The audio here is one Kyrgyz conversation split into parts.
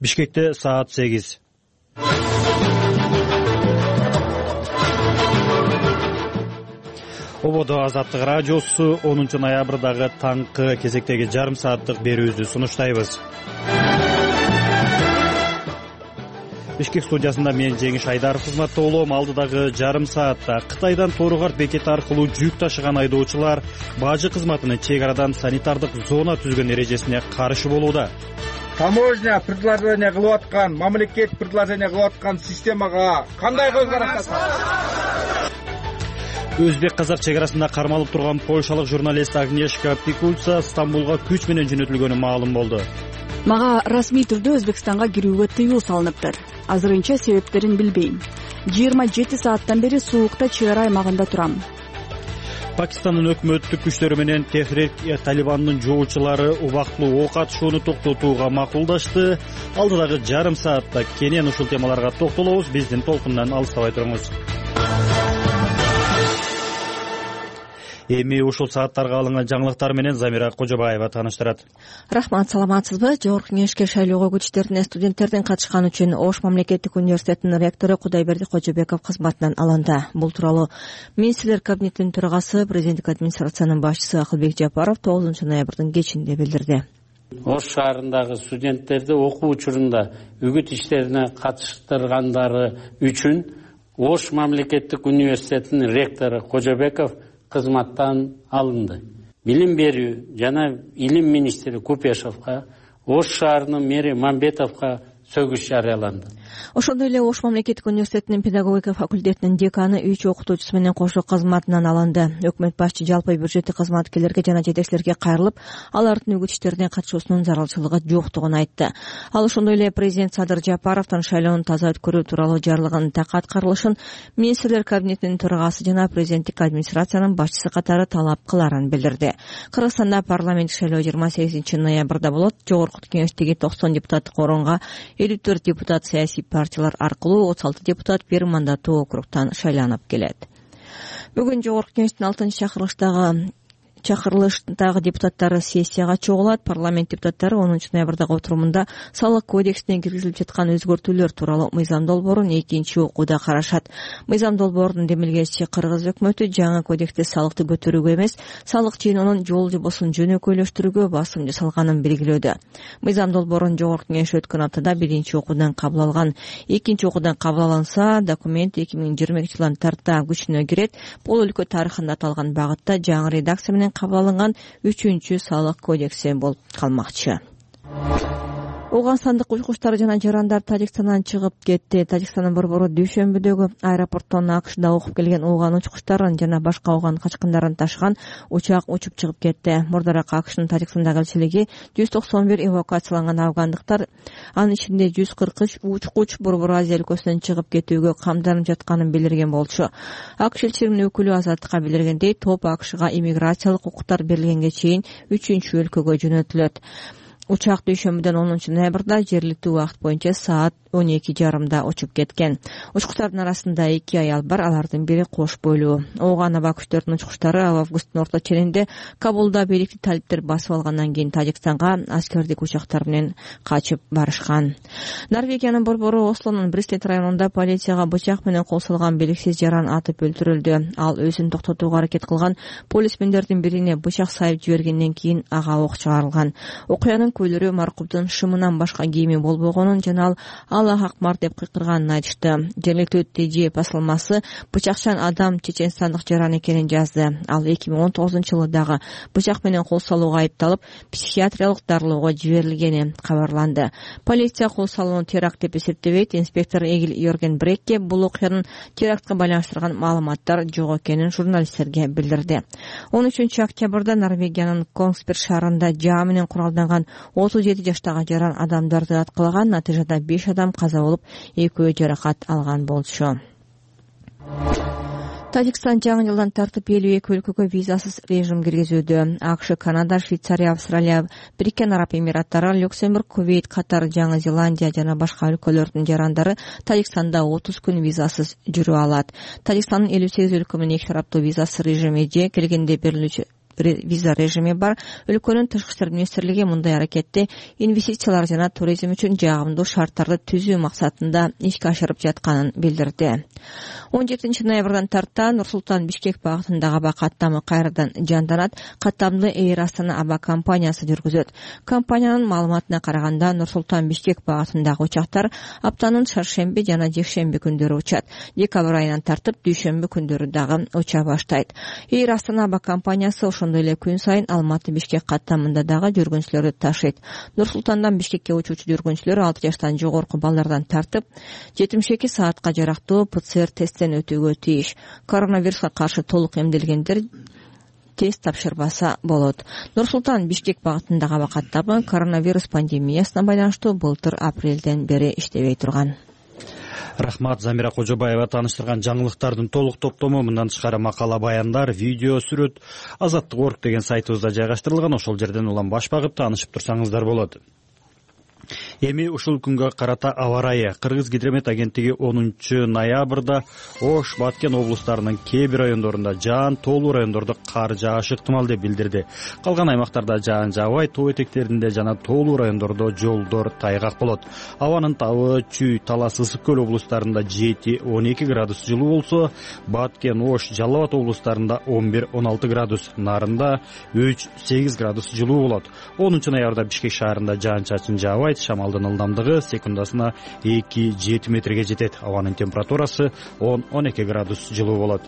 Бишкекте саат 8. Ободо Азаттык радиосу 10 ноябрдагы таңкы кезектеги жарым сааттык берүүбүздү сунуштайбыз. Бишкек студиясында мен Жеңиш Айдаров кызматта болом. Алдыдагы жарым саатта Кытайдан Тооругарт бекети аркылуу жүк ташыган айдоочулар бажы кызматынын чек арадан санитардык зона түзгөн эрежесине каршы болууда. Таможня предложение кылып аткан, мамлекет предложение кылып аткан системага кандай көз карашасыз? Өзбек-казак чек арасында кармалып турган польшалык журналист Агнешка Пикульца Стамбулга күч менен жөнөтүлгөнү маалым болду. Мага расмий түрдө Өзбекстанга кирүүгө тыюу салыныптыр. Азырынча себептерин билбейм. 27 сааттан бери суукта чек ара аймагында турам. Пакистандын өкмөттүк күчтөрү менен Техрик Талибандын жоочулары убактылуу ок атышууну токтотууга макулдашты. Алдыдагы жарым саатта кенен ушул темаларга токтолобуз. Биздин толкундан алыстабай туруңуз. Эми ушул сааттарга алынган жаңылыктар менен Замира Кожобаева тааныштырат. Рахмат, саламатсызбы? Жогорку кеңешке шайлоого күчтөрүнө студенттердин катышканы үчүн Ош мамлекеттик университетинин ректору Кудайберди Кожобеков кызматынан алынды. Бул тууралуу министрлер кабинетинин төрагасы, президенттик администрациянын башчысы Акылбек Жапаров 9 ноябрдын кечинде билдирди. Ош шаарындагы студенттерди окуу учурунда үгүт иштерине катыштыргандары үчүн Ош мамлекеттик университетинин ректору Кожобеков кызматтан алынды. Билим берүү жана илим министри Купешовго, Ош шаарынын мэри Мамбетовго сөгүш жарыяланды. Ошондой эле Ош мамлекеттик университетинин педагогика факультетинин деканы 3 окутуучусу менен кошо кызматынан алынды. Өкмөт башчы жалпы бюджеттик кызматкерлерге жана жетекчилерге кайрылып, алардын үгүт иштерине катышуусунун зарылчылыгы жоктугун айтты. Ал ошондой эле президент Садыр Жапаровдун шайлоону таза өткөрүү тууралуу жарлыгынын так аткарылышын министрлер кабинетинин төрагасы жана президенттик администрациянын башчысы катары талап кыларын билдирди. Кыргызстанда парламенттик шайлоо 28 ноябрда болот. Жогорку кеңештеги 90 депутаттык орунга 54 депутат саясий партиялар аркылуу 36 депутат бир мандаттуу округтан шайланып келет. Бүгүн Жогорку кеңештин 6 чакырылыштагы депутаттары сессияга чогулат. Парламент депутаттары 10 ноябрдагы отурумунда салык кодексине киргизилип жаткан өзгөртүүлөр тууралуу мыйзам долбоорун 2 окууда карашат. Мыйзам долбоорунун демилгечи Кыргыз өкмөтү жаңы кодексте салыкты көтөрүүгө эмес, салык жыйноонун жол жобосун жөнөкөйлөштүрүүгө басым жасалганын белгилөөдө. Мыйзам долбоорун Жогорку кеңеш өткөн аптада 1-окуудан кабыл алган. 2-окуудан кабыл алынса, документ 2022 жылдан тарта күчүнө кирет. Бул өлкө тарыхында аталган багытта жаңы редакция менен кабыл алынган 3 салык кодекси болуп калмакчы. Ооганстандык учкучтар жана жарандар Тажикстандан чыгып кетти. Тажикстандын борбору дүйшөмбүдөгү аэропорттон АКШда окуп келген ооган учкучтарын жана башка ооган качкындарын ташыган учак учуп чыгып кетти. Мурдараак АКШнын Тажикстандагы элчилиги 191 эвакуацияланган афгандыктар, анын ичинде 143 учкуч Борбор Азия өлкөсүнөн чыгып кетүүгө камданып жатканын билдирген болчу. АКШ элчилигинин өкүлү Азаттыкка билдиргендей, топ АКШга иммиграциялык укуктар берилгенге чейин 3 өлкөгө жөнөтүлөт. Учак дүйшөмбүдөн 10 ноябрда жергиликтүү убакыт боюнча саат 12:30 учуп кеткен. Учкучтардын арасында 2 аял бар, алардын бири кош бойлуу. Ооган аба күчтөрүнүн учкучтары августтун орто ченинде Кабулда бийликти талиптер басып алгандан кийин Тажикстанга аскердик учактар менен качып барышкан. Норвегиянын борбору Ослонун Бристет районунда полицияга бычак менен кол салган белгисиз жаран атып өлтүрүлдү. Ал өзүн токтотууга аракет кылган полисмендердин бирине бычак сайып жибергенден кийин ага ок чыгарылган. Окуянын көйлөрү маркумдун шымынан башка кийими болбогонун жана ал акмар деп кыйкырганын айтышты. Жергиликтүү ТЖ басылмасы бычакчан адам чеченстандык жаран экенин жазды. Ал 2019 жылы дагы бычак менен кол салууга айыпталып, психиатриялык дарылоого жиберилгени кабарланды. Полиция кол салууну теракт деп эсептебейт. Инспектор Эгил Йорген Брекке бул окуянын терактка байланыштырган маалыматтар жок экенин журналисттерге билдирди. 13 октябрда Норвегиянын Kongsberg шаарында жаа менен куралданган 37 жаштагы жаран адамдарды аткалаган. Натыйжада 5 адам каза болуп, 2 жаракат алган болчу. Тажикстан жаңы жылдан тартып 52 өлкөгө визасыз режим киргизүүдө. АКШ, Канада, Швейцария, Австралия, Бириккен Араб Эмираттары, Люксембург, Кувейт, Катар, Жаңы Зеландия жана башка өлкөлөрдүн жарандары Тажикстанда 30 күн визасыз жүрө алат. Тажикстандын 58 өлкө менен 2 тараптуу визасыз режими же келгенде берилүүчү виза режими бар. Өлкөнүн тышкы иштер министрлиги мындай аракетти инвестициялар жана туризм үчүн жагымдуу шарттарды түзүү максатында ишке ашырып жатканын билдирди. 17 ноябрдан тарта Нур-Султан Бишкек багытындагы аба каттамы кайрадан жанданат. Каттамды Эйр Астана аба компаниясы жүргүзөт. Компаниянын маалыматына караганда Нур-Султан Бишкек багытындагы учактар аптанын шаршемби жана жекшемби күндөрү учат. Декабрь айынан тартып дүйшөмбү күндөрү дагы уча баштайт. Эйр Астана аба компаниясы ошондой эле күн сайын Алматы Бишкек каттамында дагы жүргүнчүлөрдү ташыйт. Нур-Султандан Бишкекке учуучу жүргүнчүлөр 6 жаштан жогорку балдардан тартып 72 саатка жарактуу ПЦР тесттен өтүүгө тийиш. Коронавируска каршы толук эмделгендер тест тапшырбаса болот. Нур-Султан Бишкек багытындагы аба каттамы коронавирус пандемиясына байланыштуу былтыр апрелден бери иштебей турган. Рахмат, Замира Кожобаева тааныштырган жаңылыктардын толук топтому, мындан тышкары макала, баяндар, видео, сүрөт Азаттык.орг деген сайтыбызда жайгаштырылган. Ошол жерден улам баш багып таанышып турсаңыздар болот. Эми ушул күнгө карата аба ырайы. Кыргыз гидромет агенттиги 10 ноябрда Ош, Баткен облустарынын кээ бир райондорунда жаан, тоолуу райондордо кар жаашы ыктымал деп билдирди. Калган аймактарда жаан жаабай, тоо этектеринде жана тоолуу райондордо жолдор тайгак болот. Абанын табы Чүй, Талас, Ысык көл облустарында 7-12 градус жылуу болсо, Баткен, Ош, Жалал Абад облустарында 11-16 градус, Нарында 3-8 градус жылуу болот. 10 ноябрда Бишкек шаарында жаан-чачын жаабайт, шамалдын ылдамдыгы секундасына 2-7 метрге жетет. Абанын температурасы 10-12 градус жылуу болот.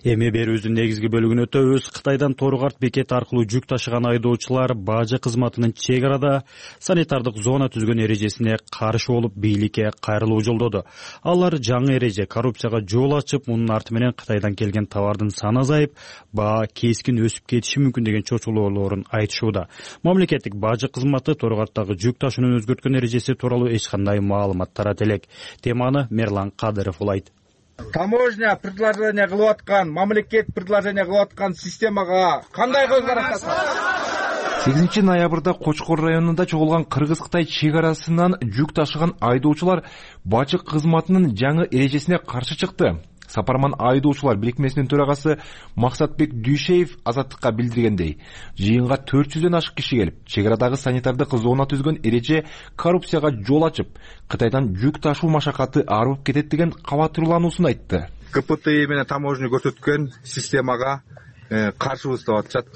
Эми берүүбүздүн негизги бөлүгүнө өтөбүз. Кытайдан Торукарт бекети аркылуу жүк ташыган айдоочулар бажы кызматынын чек арада санитардык зона түзгөн эрежесине каршы болуп бийликке кайрылуу жолдоду. Алар жаңы эреже коррупцияга жол ачып, мунун арты менен Кытайдан келген товардын саны азайып, баа кескин өсүп кетиши мүмкүн деген чочулоолорун айтышууда. Мамлекеттик бажы кызматы Торукарттагы жүк ташуунун өзгөрткөн эрежеси тууралуу эч кандай маалымат тарата элек. Теманы Мерлан Кадыров улайт. Таможня предложение кылып аткан, мамлекет предложение кылып аткан системага кандай көз карашасыз? 8 ноябрда Кочкор районунда чогулган Кыргыз-Кытай чек арасынан жүк ташыган айдоочулар бажы кызматынын жаңы эрежесине каршы чыкты. Сапарман айдоочулар бирикмесинин төрагасы Максатбек Дүйшеев Азаттыкка билдиргендей, жыйынга 400дөн ашык киши келип, чек арадагы санитардык зона түзгөн эреже коррупцияга жол ачып, Кытайдан жүк ташуу машакаты арып кетет деген кабатырлануусун айтты. КПТИ менен таможня көрсөткөн системага каршыбыз деп атышат.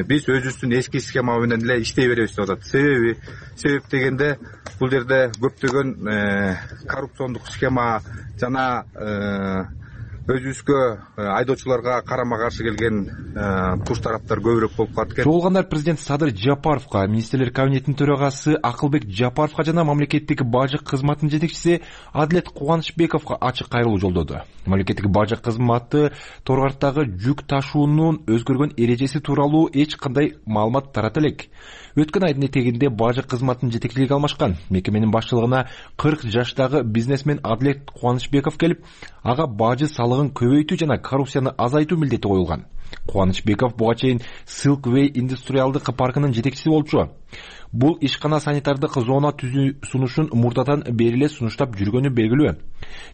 Биз өзүбүздүн эски схема менен эле иштей беребиз деп атат. Себеп дегенде бул жерде көптөгөн коррупциондук схема жана өзүбүзгө айдоочуларга карама каршы келген туш тараптар көбүрөөк болуп калат экен. Чогулгандар президент Садыр Жапаровго, министрлер кабинетинин төрагасы Акылбек Жапаровго жана мамлекеттик бажы кызматынын жетекчиси Адилет Кубанычбековго ачык кайрылуу жолдоду. Мамлекеттик бажы кызматы Торукарттагы жүк ташуунун өзгөргөн эрежеси тууралуу эч кандай маалымат тарата элек. Өткөн айдын этегинде бажы кызматынын жетекчилиги алмашкан. Мекеменин башчылыгына 40 жаштагы бизнесмен Адилет Кубанычбеков келип, ага бажы салыгын көбөйтүү жана коррупцияны азайтуу милдети коюлган. Кубанычбеков буга чейин Silkway индустриалдык паркынын жетекчиси болчу. Бул ишкана санитардык зона түзүү сунушун мурдадан бери эле сунуштап жүргөнү белгилүү.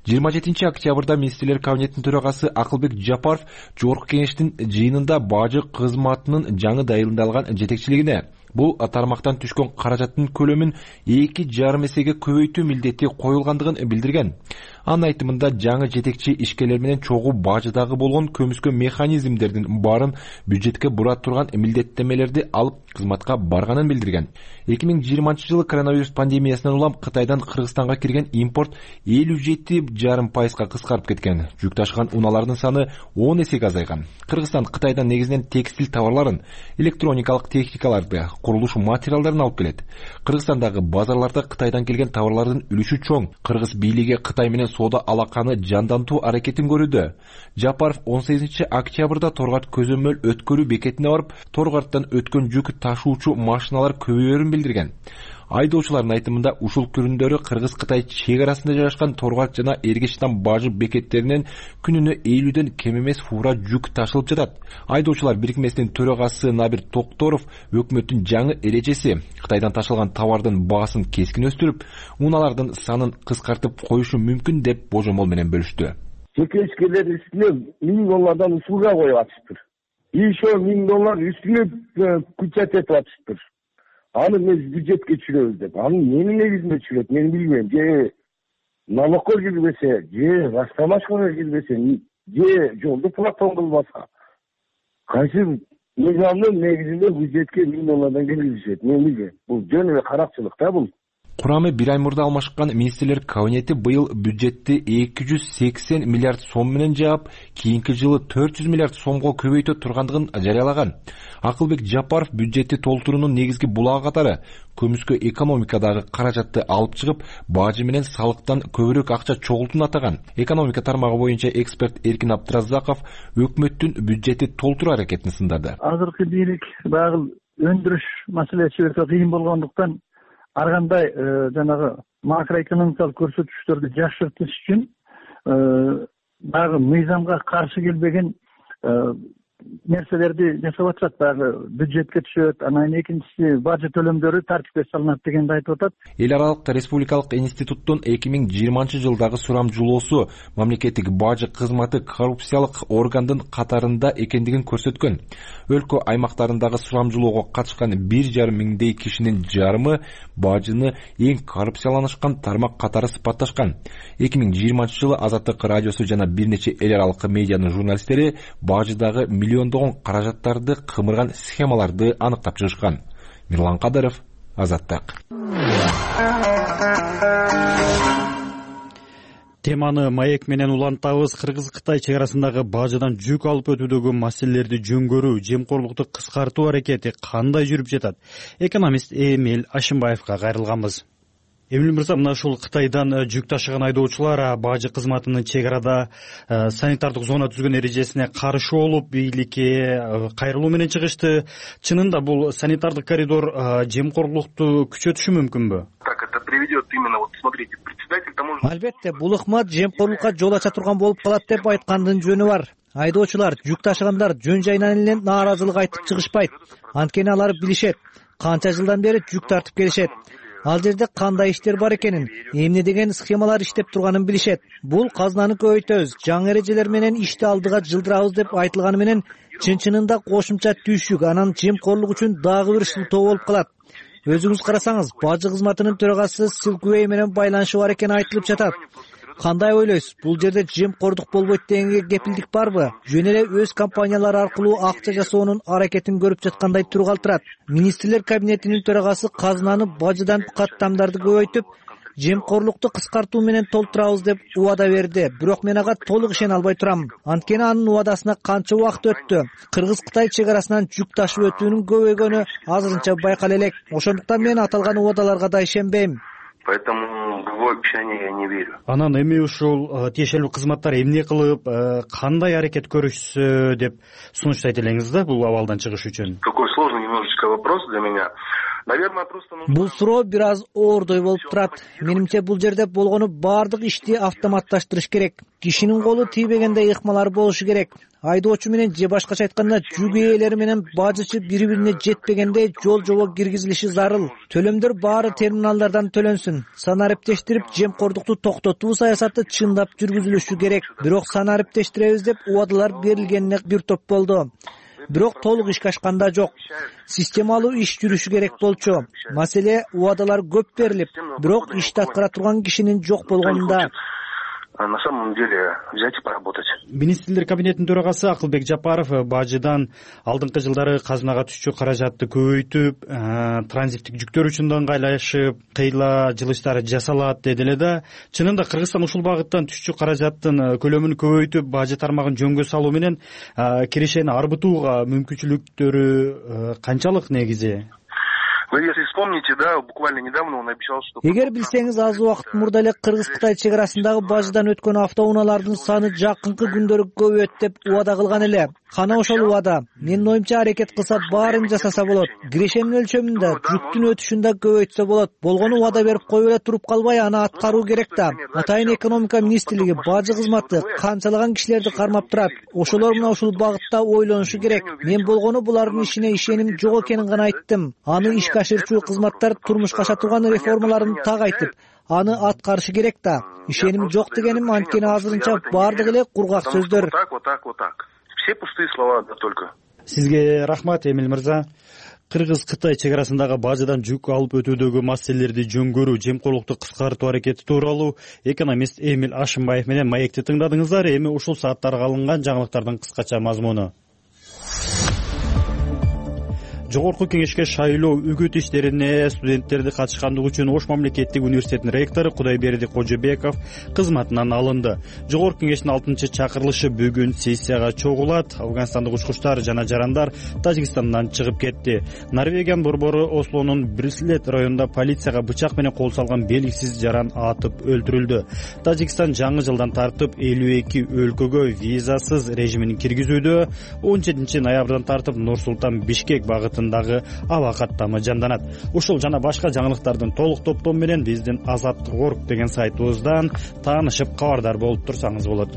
27 октябрда министрлер кабинетинин төрагасы Акылбек Жапаров жогорку кеңештин жыйынында бажы кызматынын жаңы дайындалган жетекчилигине бул тармактан түшкөн каражаттын көлөмүн 2,5 эсеге көбөйтүү милдети коюлгандыгын билдирген. Анын айтымында жаңы жетекчи ишкерлер менен чогуу бажыдагы болгон көмүскө механизмдердин баарын бюджетке бура турган милдеттемелерди алып кызматка барганын билдирген. 2020 коронавирус пандемиясынан улам Кытайдан Кыргызстанга кирген импорт 57,5% кыскарып кеткен. Жүк ташыган унаалардын саны 10 эсеге азайган. Кыргызстан Кытайдан негизинен текстиль товарларын, электроникалык техникаларды, курулуш материалдарын алып келет. Кыргызстандагы базарларда Кытайдан келген товарлардын үлүшү чоң. Кыргыз бийлиги Кытай менен соода алаканы жандантуу аракетин көрүүдө. Жапаров 18 октябрда Торукарт көзөмөл өткөрүү бекетине барып, Торукарттан өткөн жүк ташуучу машиналар көбөйөрүн билдирген. Айдоочулардын айтымында ушул күндөрү Кыргыз-Кытай чек арасында жайгашкан Торукарт жана Эргештан бажы бекеттеринен күнүнө 50дөн кем эмес фура жүк ташылып жатат. Айдоочулар бирикмесинин төрагасы Набир Токторов өкмөттүн жаңы эрежеси Кытайдан ташылган товардын баасын кескин өстүрүп, унаалардын санын кыскартып коюшу мүмкүн деп божомол менен бөлүштү. жеке ишкерлер үстүнө $1000 услуга коюп атышыптыр. Еще $1000 үстүнө күчөт этип атышыптыр. Аны биз бюджетке түшүрөбүз деп. Аны эмне негизинде түшүрөт мен билбейм. Же налогко кирбесе, же растамашкага кирбесе, же жолду платон кылбаса. Кайсы мыйзамдын негизинде бюджетке $1000 киргизишет, мен билбейм. Бул жөн эле каракчылык да бул. Курамы бир ай мурда алмашкан министрлер кабинети быйыл бюджетти 280 миллиард сом менен жаап, кийинки жылы 400 миллиард сомго көбөйтө тургандыгын жарыялаган. Акылбек Жапаров бюджетти толтуруунун негизги булагы катары көмүскө экономикадагы каражатты алып чыгып, бажы менен салыктан көбүрөөк акча чогултууну атаган. Экономика тармагы боюнча эксперт Эркин Абдыразаков өкмөттүн бюджетти толтуруу аракетин сындады. Азыркы бийлик багыл өндүрүш маселеси өтө кыйын болгондуктан ар кандай жанагы макроэкономикалык көрсөтүчтөрдү жакшыртыш үчүн дагы мыйзамга каршы келбеген нерселерди жасап атышат. Дагы бюджетке түшөт, анан экинчиси бажы төлөмдөрү тартипке салынат дегенди айтып атат. Эл аралык республикалык институттун 2020-жылдагы сурамжылоосу мамлекеттик бажы кызматы коррупциялык органдын катарында экендигин көрсөткөн. Өлкө аймактарындагы сурамжылоого катышкан 1,5 миңдей кишинин жарымы бажыны эң коррупцияланышкан тармак катары сыпатташкан. 2020-жылы Азаттык радиосу жана бир нече эл аралык медианын журналисттери бажыдагы миллиондогон каражаттарды кымырган схемаларды аныктап чыгышкан. Мирлан Кадыров, Азаттык. Теманы маек менен улантабыз. Кыргыз-Кытай чек арасындагы бажыдан жүк алып өтүүдөгү маселелерди жөнгөрүү, жемкорлукту кыскартуу аракети кандай жүрүп жатат? Экономист Эмил Ашимбаевга кайрылганбыз. Эмил мырза, мына ушул Кытайдан жүк ташыган айдоочулар бажы кызматынын чек арада санитардык зона түзгөн эрежесине каршы болуп, бийликке кайрылуу менен чыгышты. Чынында бул санитардык коридор жемкорлукту күчөтүшү мүмкүнбү? Так это приведет именно, вот смотрите, председатель таможенного... Албетте, бул ыкмат жемкорлукка жол ача турган болуп калат деп айткандын жөнү бар. Айдоочулар, жүк ташыгандар жөн жайынан эле нааразылык айтып чыгышпайт. Анткени алар билишет, канча жылдан бери жүк тартып келишет. Ал жерде кандай иштер бар экенин, эмне деген схемалар иштеп турганын билишет. Бул казнаны көбөйтөбүз, жаңы эрежелер менен ишти алдыга жылдырабыз деп айтылганы менен чын-чынында кошумча түйшүк, анан жемкорлук үчүн дагы бир шылтоо болуп калат. Өзүңүз карасаңыз, бажы кызматынын төрагасы Силквей менен байланышы бар экени айтылып жатат. Кандай ойлойсуз? Бул жерде жемкордук болбойт дегенге кепилдик барбы? Жөн эле өз компаниялары аркылуу акча жасоонун аракетин көрүп жаткандай тургалтырат. Министрлер кабинетинин төрагасы казнаны бажыдан каттамдарды көбөйтүп, жемкорлукту кыскартуу менен толтурабыз деп убада берди. Бирок мен ага толук ишене албай турам. Анткени анын убадасына канча убакыт өттү. Кыргыз-Кытай чек арасынан жүк ташып өтүүнүн көбөйгөнү азырынча байкала элек. Ошондуктан мен аталган убадаларга да ишенбейм. Поэтому в его обещание я не верю. Анан эми ушул тиешелүү кызматтар эмне кылып, кандай аракет көрүшсө деп сунуштайт элеңиз да бул абалдан чыгыш үчүн? Какой сложный немножечко вопрос для меня. Наверное, просто нужно... Бул суроо бир аз оордой болуп турат. Менимче бул жерде болгону баардык ишти автоматташтырыш керек. Кишинин колу тийбегенде ыкмалар болушу керек. Айдоочу менен же башкача айтканда жүк ээлери менен бажычы бири-бирине жетпегенде жол жобо киргизилиши зарыл. Төлөмдөр баары терминалдардан төлөнсүн. Санариптештирип жемкордукту токтотуу саясаты чындап жүргүзүлүшү керек. Бирок санариптештиребиз деп убадалар берилгенине бир топ болду. Бирок толук ишке ашканда жок. Системалуу иш жүрүшү керек болчу. Маселе убадалар көп берилип, бирок ишти аткара турган кишинин жок болгонунда. На самом деле взять и поработать. Министрлер кабинетинин төрагасы Акылбек Жапаров бажыдан алдыңкы жылдары казынага түшчү каражатты көбөйтүп, транзиттик жүктөр үчүн да ыңгайлашып, кыйла жылыштары жасалат деди эле да. Чынында Кыргызстан ушул багыттан түшчү каражаттын көлөмүн көбөйтүп, бажы тармагын жөнгө салуу менен кирешени арбытууга мүмкүнчүлүктөрү канчалык негизи? Вы если вспомните, да, буквально недавно он обещал, что... Эгер билсеңиз, аз убакыт мурда эле Кыргыз-Кытай чек арасындагы бажыдан өткөн автоунаалардын саны жакынкы күндөрү көбөйөт деп убада кылган эле. Кана ошол убада. Менин оюмча аракет кылса баарын жасаса болот. Кирешенин өлчөмүндө, жүктүн өтүшүн да көбөйтсө болот. Болгону убада берип коюп эле туруп калбай, аны аткаруу керек да. Атайын экономика министрлиги, бажы кызматы канчалаган кишилерди кармап турат. Ошолор мына ушул багытта ойлонушу керек. Мен болгону булардын ишине ишеним жок экенин гана айттым. Аны ишке ашырчу кызматтар турмушка аша турган реформаларын так айтып, аны аткарышы керек да. Ишеним жок дегеним анткени азырынча бардыгы эле кургак сөздөр. Вот так. Все пустые слова, да только. Сизге рахмат, Эмил мырза. Кыргыз-Кытай чек арасындагы бажадан жүк алып өтүүдөгү маселелерди жөн көрүү, жемкорлукту кыскартуу аракети тууралуу экономист Эмил Ашымбаев менен маекти тыңдадыңыздар. Эми ушул сааттарга алынган жаңылыктардын кыскача мазмуну. Жогорку кеңешке шайлоо үгүт иштерине студенттерди катышкандыгы үчүн Ош мамлекеттик университетинин ректору Кудайберди Кожобеков кызматынан алынды. Жогорку кеңештин 6-чакырылышы бүгүн сессияга чогулат. Афганстандык учкучтар жана жарандар Тажикстандан чыгып кетти. Норвегиянын борбору Ослонун Брислет районунда полицияга бычак менен кол салган белгисиз жаран атып өлтүрүлдү. Тажикстан жаңы жылдан тартып 52 өлкөгө визасыз режимин киргизүүдө. 17 ноябрдан тартып Нур-Султан Бишкек багыты аба каттамы жанданат. Ушул жана башка жаңылыктардын толук топтому менен биздин Азаттык.орг деген сайтыбыздан таанышып кабардар болуп турсаңыз болот.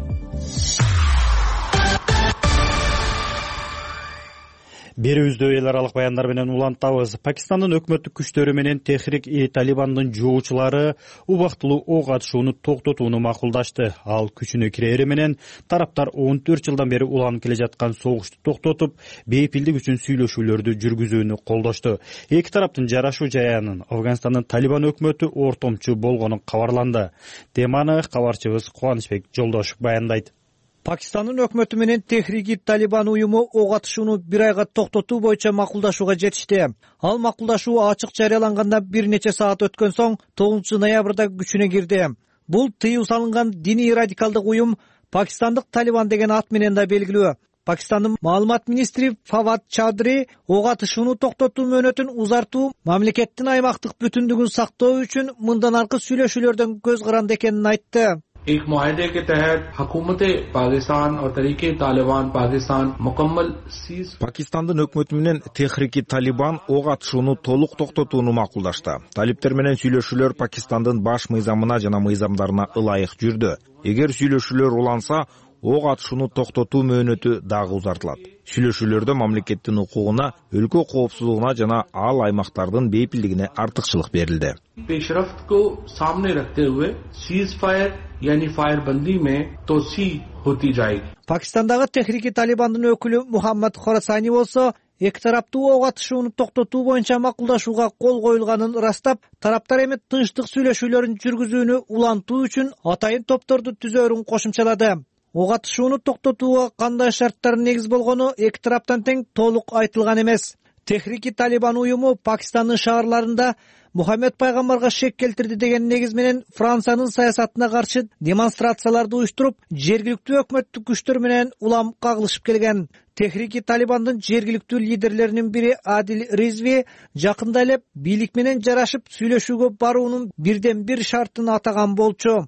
Берүүбүздө эл аралык баяндар менен улантабыз. Пакистандын өкмөттүк күчтөрү менен Техрик-и-Талибандын жоочулары убактылуу ок атышууну токтотууну макулдашты. Ал күчүнө кирери менен тараптар 14 жылдан бери уланып келе жаткан согушту токтотуп, бейпилдик үчүн сүйлөшүүлөрдү жүргүзүүнү колдошту. Эки тараптын жарашуу жаянын Афганстандын Талибан өкмөтү ортомчу болгону кабарланды. Теманы кабарчыбыз Кубанычбек Жолдошев баяндайт. Пакистандын өкмөтү менен Техрик-и-Талибан уюму ок атышууну бир айга токтотуу боюнча макулдашууга жетишти. Ал макулдашуу ачык жарыяланганда бир нече саат өткөн соң 9 ноябрда күчүнө кирди. Бул тыюу салынган диний радикалдык уюм Пакистандык Талибан деген ат менен да белгилүү. Пакистандын маалымат министри Фавад Чадри ок атышууну токтотуу мөөнөтүн узартуу мамлекеттин аймактык бүтүндүгүн сактоо үчүн мындан аркы сүйлөшүүлөрдөн көз каранды экенин айтты. एक मुआहदे के तहत हुकूमत पाकिस्तान और तरीके तालिबान पाकिस्तान मुकम्मल सीज Пакистандын өкмөтү менен Техрик-и-Талибан ок атышууну толук токтотууну макулдашты. Талиптер менен сүйлөшүүлөр Пакистандын баш мыйзамына жана мыйзамдарына ылайык жүрдү. Эгер сүйлөшүүлөр уланса, ок атышууну токтотуу мөөнөтү дагы узартылат. Сүйлөшүүлөрдө мамлекеттин укугуна, өлкө коопсуздугуна жана ал аймактардын бейпилдигине артыкчылык берилди. पेशरफ्त को सामने रखते हुए सीज फायर यानी फायरबंदी में तोसी होती जाएगी. Пакистандагы Техрик-и-Талибандын өкүлү Мухаммад Хорасани болсо, эки тараптуу ок атышууну токтотуу боюнча макулдашууга кол коюлганын ырастап, тараптар эми тынчтык сүйлөшүүлөрүн жүргүзүүнү улантуу үчүн атайын топторду түзөөрүн кошумчалады. Ок атышууну токтотууга кандай шарттар негиз болгону эки тараптан тең толук айтылган эмес. Техрик-и-Талибан уюму Пакистандын шаарларында Мухаммед пайгамбарга шек келтирди деген негиз менен Франциянын саясатына каршы демонстрацияларды уюштуруп, жергиликтүү өкмөттүк күчтөр менен улам кагылышып келген. Техрик-и-Талибандын жергиликтүү лидерлеринин бири Адил Ризви жакында эле бийлик менен жарашып сүйлөшүүгө баруунун бирден бир шартын атаган болчу.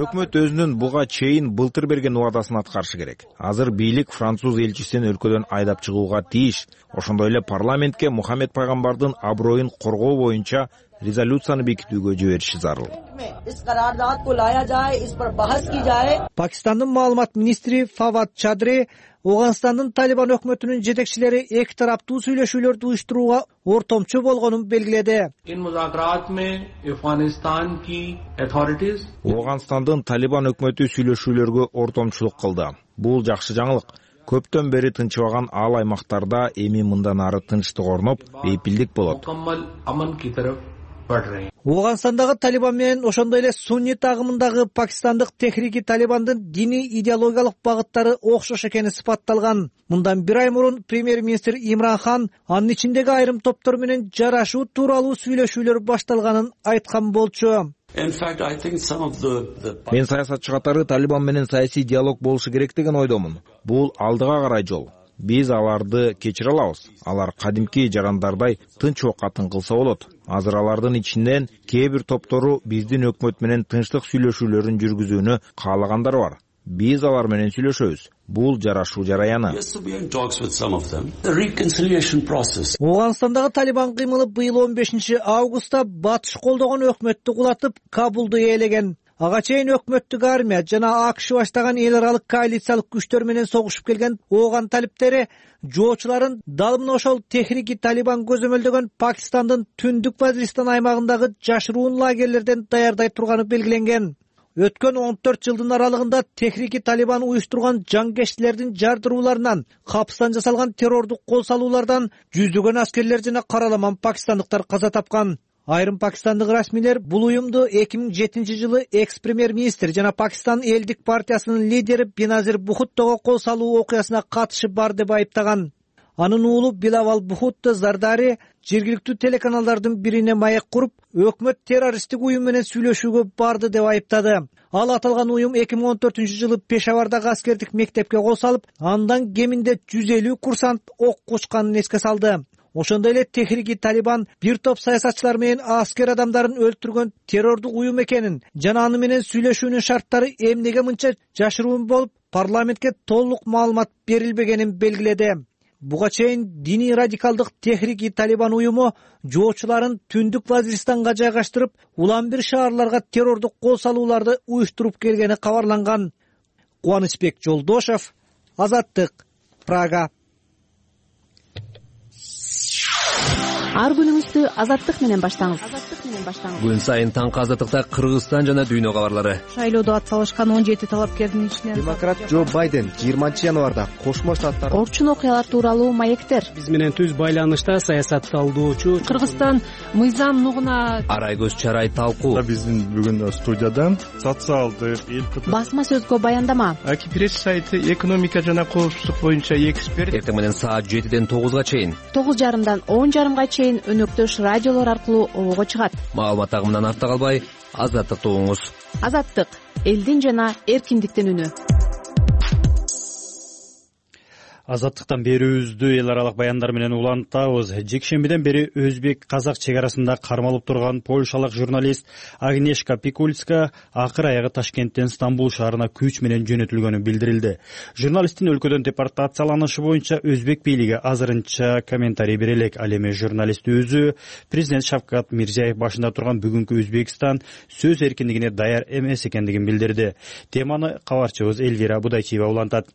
Өкмөт өзүнүн буга чейин былтыр берген убадасын аткарышы керек. Азыр бийлик француз элчисин өлкөдөн айдап чыгууга тийиш. Ошондой эле парламентке Мухаммед пайгамбардын аброюн коргоо боюнча резолюцияны бекитүүгө жибериши зарыл. Пакистандын маалымат министри Фавад Чадри Афганстандын Талибан өкмөтүнүн жетекчилери эки тараптуу сүйлөшүүлөрдү уюштурууга ортомчу болгонун белгиледи. Афганстандын Талибан өкмөтү сүйлөшүүлөргө ортомчулук кылды. Бул жакшы жаңылык. Көптөн бери тынчыбаган ал аймактарда эми мындан ары тынчтык орноп, бейпилдик болот. Афганстандагы Талибан менен ошондой эле суннит агымындагы Пакистандык Техрик-и-Талибандын диний идеологиялык багыттары окшош экени сыпатталган. Мындан бир ай мурун премьер-министр Имран Хан анын ичиндеги айрым топтор менен жарашуу тууралуу сүйлөшүүлөр башталганын айткан болчу. Мен саясатчы катары Талибан менен саясий диалог болушу керек деген ойдомун. Бул алдыга карай жол. Биз аларды кечире алабыз. Алар кадимки жарандардай тынч окатын кылса болот. Азыр алардын ичинен кээ бир топтору биздин өкмөт менен тынчтык сүйлөшүүлөрүн жүргүзүүнү каалагандар бар. Биз алар менен сүйлөшөбүз. Бул жарашуу жараяны. Афганстандагы Талибан кыймылы быйыл 15 августта батыш колдогон өкмөттү кулатып, Кабулду ээлеген. Ага чейин өкмөттүк армия жана АКШ баштаган эл аралык коалициялык күчтөр менен согушуп келген ооган талиптери жоочуларын дал мына ошол техники Талибан көзөмөлдөгөн Пакистандын Түндүк Вазиристан аймагындагы жашыруун лагерлерден даярдай турганы белгиленген. Өткөн 14 жылдын аралыгында техники Талибан уюштурган жангештилердин жардырууларынан, капыстан жасалган террордук кол салуулардан жүздөгөн аскерлер жана караламан пакистандыктар каза тапкан. Айрым пакистандык расмийлер бул уюмду 2007 жылы экс-премьер-министр жана Пакистан элдик партиясынын лидери Беназир Бхуттого кол салуу окуясына катышы бар деп айыптаган. Анын уулу Билавал Бхутто Зардари жергиликтүү телеканалдардын бирине маек куруп, өкмөт террористтик уюм менен сүйлөшүүгө барды деп айыптады. Ал аталган уюм 2014 жылы Пешавардагы аскердик мектепке кол салып, андан кеминде 150 курсант ок кучканын эске салды. Ошондой эле техники Талибан бир топ саясатчылар менен аскер адамдарын өлтүргөн террордук уюм экенин жана аны менен сүйлөшүүнүн шарттары эмнеге мынча жашыруун болуп, парламентке толук маалымат берилбегенин белгиледи. Буга чейин диний радикалдык техники Талибан уюму жоочуларын Түндүк Вазиристанга жайгаштырып, улам бир шаарларга террордук кол салууларды уюштуруп келгени кабарланган. Кубанычбек Жолдошев, Азаттык, Прага. Ар күнүңүздү Азаттык менен баштаңыз. Күн сайын таңкы Азаттыкта Кыргызстан жана дүйнө кабарлары. Шайлоодо атсалышкан 17 талапкердин ичинен демократ Джо Байден 20 январда Кошмо Штаттар орчун окуялар тууралуу маектер. Биз менен түз байланышта саясатталуучу Кыргызстан мыйзам нугуна Арайгөз Чарай талкуу. Биздин бүгүн студияда социалдык басма сөзгө баяндама. Акипресс сайты экономика жана коопсуздук боюнча эксперт. Эртең менен саат 7ден 9га чейин, 9:30дан 10:30га чейин өнөктөш радиолор аркылуу обого чыгат. Маалымат агымынан артта калбай, Азаттыкты угуңуз. Азаттык — элдин жана эркиндиктин үнү. Азаттыктан берүүбүздү эл аралык баяндар менен улантабыз. Жекшембиден бери өзбек-казак чек арасында кармалып турган польшалык журналист Агнешка Пикулицка акыр аягы Ташкенттен Стамбул шаарына күч менен жөнөтүлгөнү билдирилди. Журналисттин өлкөдөн депортацияланышы боюнча өзбек бийлиги азырынча комментарий бере элек. Ал эми журналист өзү президент Шавкат Мирзиёев башында турган бүгүнкү Өзбекстан сөз эркиндигине даяр эмес экендигин билдирди. Теманы кабарчыбыз Эльвира Будайчиева улантат.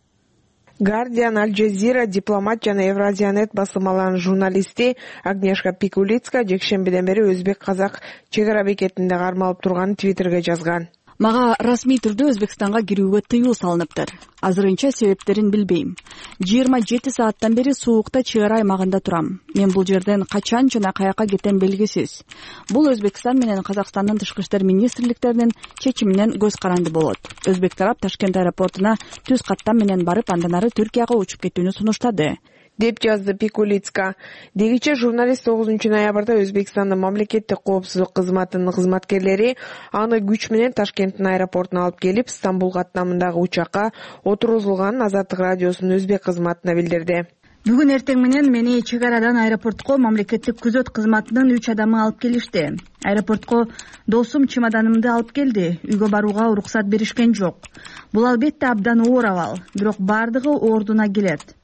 Guardian, Al Jazeera, Дипломат жана Евразиянет басылмаларынын журналисти Агнешка Пикулицка жекшембиден бери өзбек-казак чек ара бекетинде кармалып турганын Твиттерге жазган. Мага расмий түрдө Өзбекстанга кирүүгө тыюу салыныптыр. Азырынча себептерин билбейм. 27 сааттан бери суукта чек ара аймагында турам. Мен бул жерден качан жана каяка кетем белгисиз. Бул Өзбекстан менен Казакстандын тышкы иштер министрликтеринин чечиминен көз каранды болот. Өзбек тарап Ташкент аэропортуна түз каттам менен барып, андан ары Түркияга учуп кетүүнү сунуштады, деп жазды Пикулицка. Дегиче журналист 9 ноябрда Өзбекстандын мамлекеттик коопсуздук кызматынын кызматкерлери аны күч менен Ташкенттин аэропортуна алып келип, Стамбул каттамындагы учакка отургузулганын Азаттык радиосунун өзбек кызматына билдирди. Бүгүн эртең менен мени чек арадан аэропортко мамлекеттик күзөт кызматынын 3 адамы алып келишти. Аэропортко досум чемоданымды алып келди. Үйгө барууга уруксат беришкен жок. Бул албетте абдан оор абал, бирок бардыгы ордуна келет.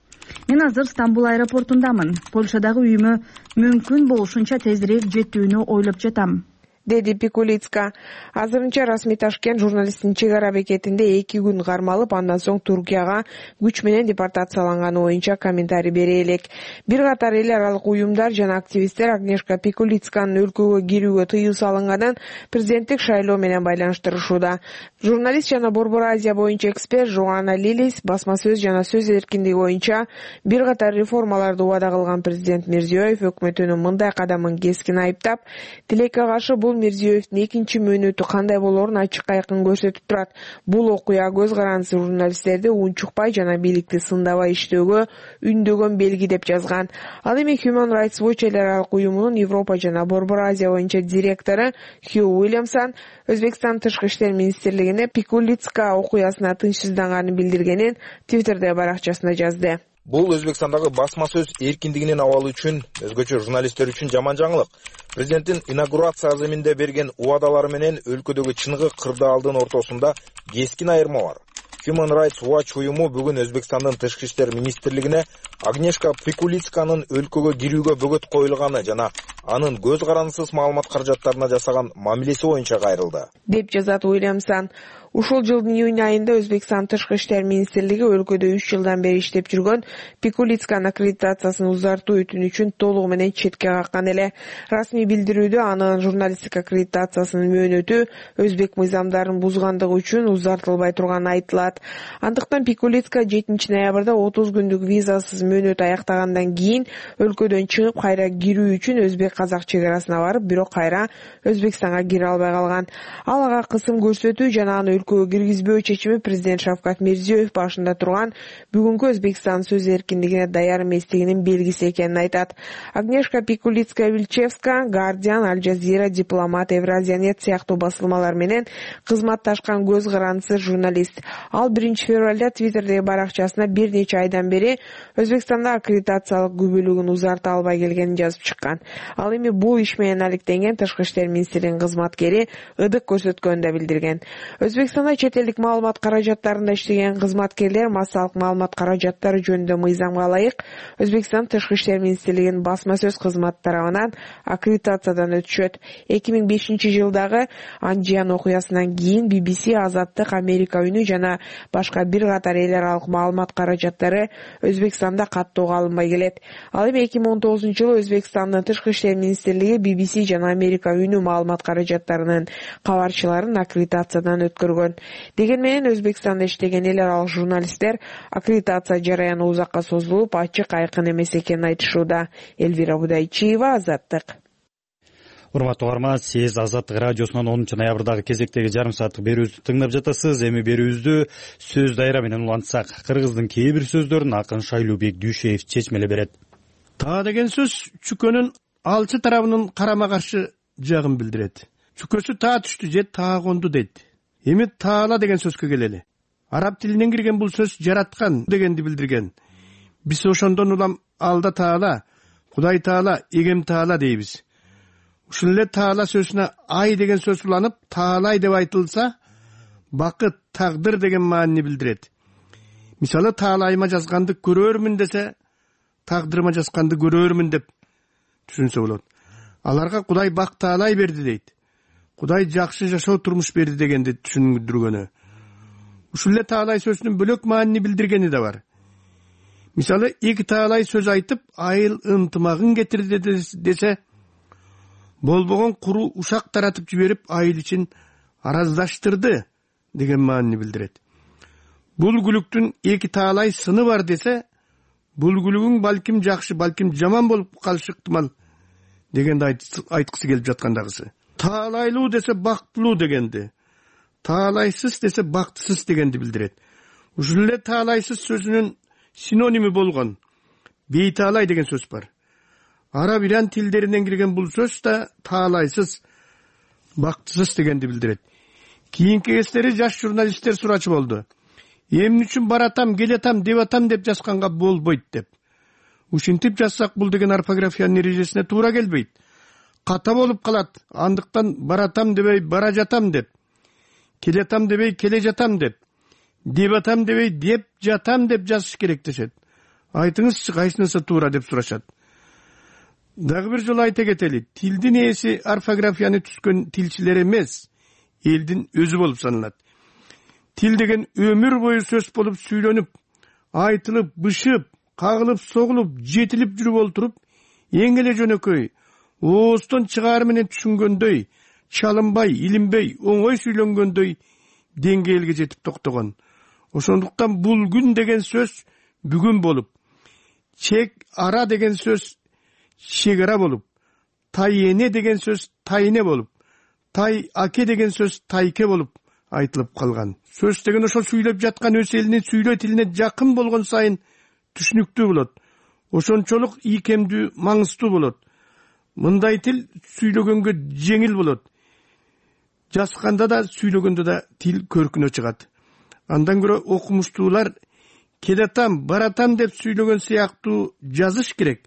Мен азыр Стамбул аэропортундамын. Польшадагы үйүмө мүмкүн болушунча тезирээк жетүүнү ойлоп жатам, деди Пикулицка. Азырынча расмий Ташкент журналисттин чек ара бекетинде 2 күн кармалып, андан соң Туркияга күч менен депортацияланганы боюнча комментарий бере элек. Бир катар эл аралык уюмдар жана активисттер Агнешка Пикулицканын өлкөгө кирүүгө тыюу салынганын президенттик шайлоо менен байланыштырышууда. Журналист жана Борбор Азия боюнча эксперт Жоанна Лилис басма сөз жана сөз эркиндиги боюнча бир катар реформаларды убада кылган президент Мирзиёев өкмөтүнүн мындай кадамын кескин айыптап, тилекке каршы бул Мирзиёевдин экинчи мөөнөтү кандай болоорун ачык айкын көрсөтүп турат. Бул окуя көз карандысы журналисттерди унчукпай жана бийликти сындабай иштөөгө үндөгөн белги деп жазган. Ал эми Human Rights Watch эл аралык уюмунун Европа жана Борбор Азия боюнча директору Хью Уильямсон Өзбекстан тышкы иштер министрлигине Пикулицка окуясына тынчсызданганын билдиргенин Твиттерде баракчасына жазды. Бул Өзбекстандагы басма сөз эркиндигинин абалы үчүн, өзгөчө журналисттер үчүн жаман жаңылык. Президенттин инаугурация аземинде берген убадалары менен өлкөдөгү чыныгы кырдаалдын ортосунда кескин айырма бар. Human Rights Watch уюму бүгүн Өзбекстандын тышкы иштер министрлигине Агнешка Пикулицканын өлкөгө кирүүгө бөгөт коюлганы жана анын көз карандысыз маалымат каражаттарына жасаган мамилеси боюнча кайрылды деп жазат Уильямсон. Ушул жылдын июнь айында Өзбекстан Тышкы иштер министрлиги өлкөдө 3 жылдан бери иштеп жүргөн Пикулицканын аккредитациясын узартуу өтүнүчүн толугу менен четке каккан эле. Расмий билдирүүдө анын журналисттик аккредитациясынын мөөнөтү өзбек мыйзамдарын бузгандыгы үчүн узартылбай турганы айтылат. Андыктан Пикулицка 7 ноябрда 30 күндүк визасыз мөөнөт аяктагандан кийин өлкөдөн чыгып кайра кирүү үчүн өзбек-казак чек арасына барып, бирок кайра Өзбекстанга кире албай калган. Ал ага кысым көрсөтүү жана аны өлкөгө киргизбөө чечими президент Шавкат Мирзиёев башында турган бүгүнкү Өзбекстан сөз эркиндигине даяр эместигинин белгиси экенин айтат. Агнешка Пикулицкая-Вильчевска, Guardian, Al Jazeera, Дипломат, Евразиянет сыяктуу басылмалар менен кызматташкан көз карандысыз журналист. Ал 1 февралда Твиттердеги баракчасына бир нече айдан бери Өзбекстанда аккредитациялык күбөлүгүн узарта албай келгенин жазып чыккан. Ал эми бул иш менен алектенген Тышкы иштер министрлигинин кызматкери ыдык көрсөткөнүн да билдирген. Өзбекстанда чет элдик маалымат каражаттарында иштеген кызматкерлер массалык маалымат каражаттары жөнүндө мыйзамга ылайык Өзбекстан Тышкы иштер министрлигинин басма сөз кызматы тарабынан аккредитациядан өтүшөт. 2005 жылдагы Анжиан окуясынан кийин BBC, Азаттык, Америка үнү жана башка бир катар эл аралык маалымат каражаттары Өзбекстанда каттоого алынбай келет. Ал эми 2019 жылы Өзбекстандын Тышкы иштер министрлиги BBC жана Америка үнү маалымат каражаттарынын кабарчыларын аккредитациядан өткөргөн. Деген менен Өзбекстанда иштеген эл аралык журналисттер аккредитация жараяны узакка созулуп, ачык айкын эмес экенин айтышууда. Элвира Будайчиева, Азаттык. Урматтуу угарман, сиз Азаттык радиосунун 10 ноябрдагы кезектеги жарым сааттык берүүбүздү тыңдап жатасыз. Эми берүүбүздү сөз дайра менен улантсак, кыргыздын кээ бир сөздөрүн акын Шайлообек Дүйшеев чечмелеп берет. Таа деген сөз чүкөнүн алчы тарабынын карама каршы жагын билдирет. Чүкөсү таа түштү же таа конду дейт. Эми таала деген сөзгө келели. Араб тилинен кирген бул сөз жараткан дегенди билдирген. Биз ошондон улам алда таала, Кудай таала, эгем таала дейбиз. Ушул эле таала сөзүнө ай деген сөз уланып, таалай деп айтылса, бакыт, тагдыр деген маанини билдирет. Мисалы, таалайыма жазганды көрөрмүн десе, тагдырыма жазганды көрөрмүн деп түшүнсө болот. Аларга Кудай бак таалай берди дейт. Кудай жакшы жашоо турмуш берди дегенди түшүндүргөнү. Ушул эле таалай сөзүнүн бөлөк маанини билдиргени да бар. Мисалы, эки таалай сөз айтып, айыл ынтымагын кетирди десе, болбогон куру ушак таратып жиберип, айыл ичин араздаштырды деген маанини билдирет. Бул күлүктүн эки таалай сыны бар десе, бул күлүгүң балким жакшы, балким жаман болуп калышы ыктымал дегенди айткысы келип жаткандагысы. Таалайлуу десе бактылуу дегенди, таалайсыз десе бактысыз дегенди билдирет. Ушул эле таалайсыз сөзүнүн синоними болгон бейтаалай деген сөз бар. Араб иран тилдеринен кирген бул сөз да таалайсыз, бактысыз дегенди билдирет. Кийинки кездери жаш журналисттер сурачу болду. Эмне үчүн баратам, келетам, деп атам деп жазганга болбойт деп. Ушинтип жазсак бул деген орфографиянын эрежесине туура келбейт. Ката болуп калат. Андыктан баратам дебей бара жатам деп, келетам дебей келе жатам деп атам дебей деп жатам деп жазыш керек дешет. Айтыңызчы, кайсынысы туура деп сурашат. Дагы бир жолу айта кетели, тилдин ээси орфографияны түзгөн тилчилер эмес, элдин өзү болуп саналат. Тил деген өмүр бою сөз болуп сүйлөнүп, айтылып, бышып, кагылып, согулуп, жетилип жүрүп олтуруп, эң эле жөнөкөй, ооздон чыгаар менен түшүнгөндөй, чалынбай, илинбей, оңой сүйлөнгөндөй деңгээлге жетип токтогон. Ошондуктан бул күн деген сөз бүгүн болуп, чек ара деген сөз чек ара болуп, тай эне деген сөз тайне болуп, тай аке деген сөз тайке болуп айтылып калган. Сөз деген ошол сүйлөп жаткан өз элинин сүйлөө тилине жакын болгон сайын түшүнүктүү болот. Ошончолук ийкемдүү, маңыздуу болот. Мындай тил сүйлөгөнгө жеңил болот. Жазганда да, сүйлөгөндө да тил көркүнө чыгат. Андан көрө окумуштуулар келетам, баратам деп сүйлөгөн сыяктуу жазыш керек.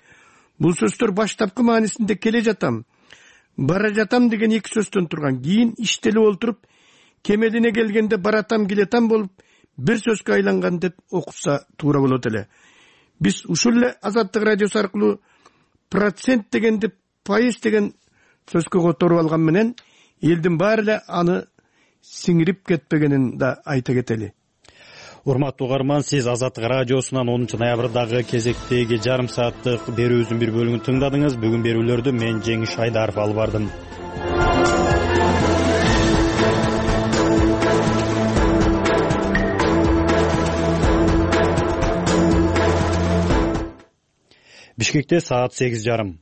Бул сөздөр баштапкы маанисинде келе жатам, бара жатам деген эки сөздөн турган. Кийин иштелип олтуруп, кемелине келгенде баратам, келетам болуп, бир сөзгө айланган деп окутса туура болот эле. Биз ушул эле Азаттык радиосу аркылуу процент дегенди пайыз деген сөзгө которуп алган менен элдин баары эле аны сиңирип кетпегенин да айта кетели. Урматтуу угарман, сиз Азаттык радиосунан 10 ноябрдагы кезектеги жарым сааттык берүүбүздүн бир бөлүгүн тыңдадыңыз. Бүгүн берүүлөрдү мен Жеңиш Айдаров алып бардым. Бишкекте саат 8:30.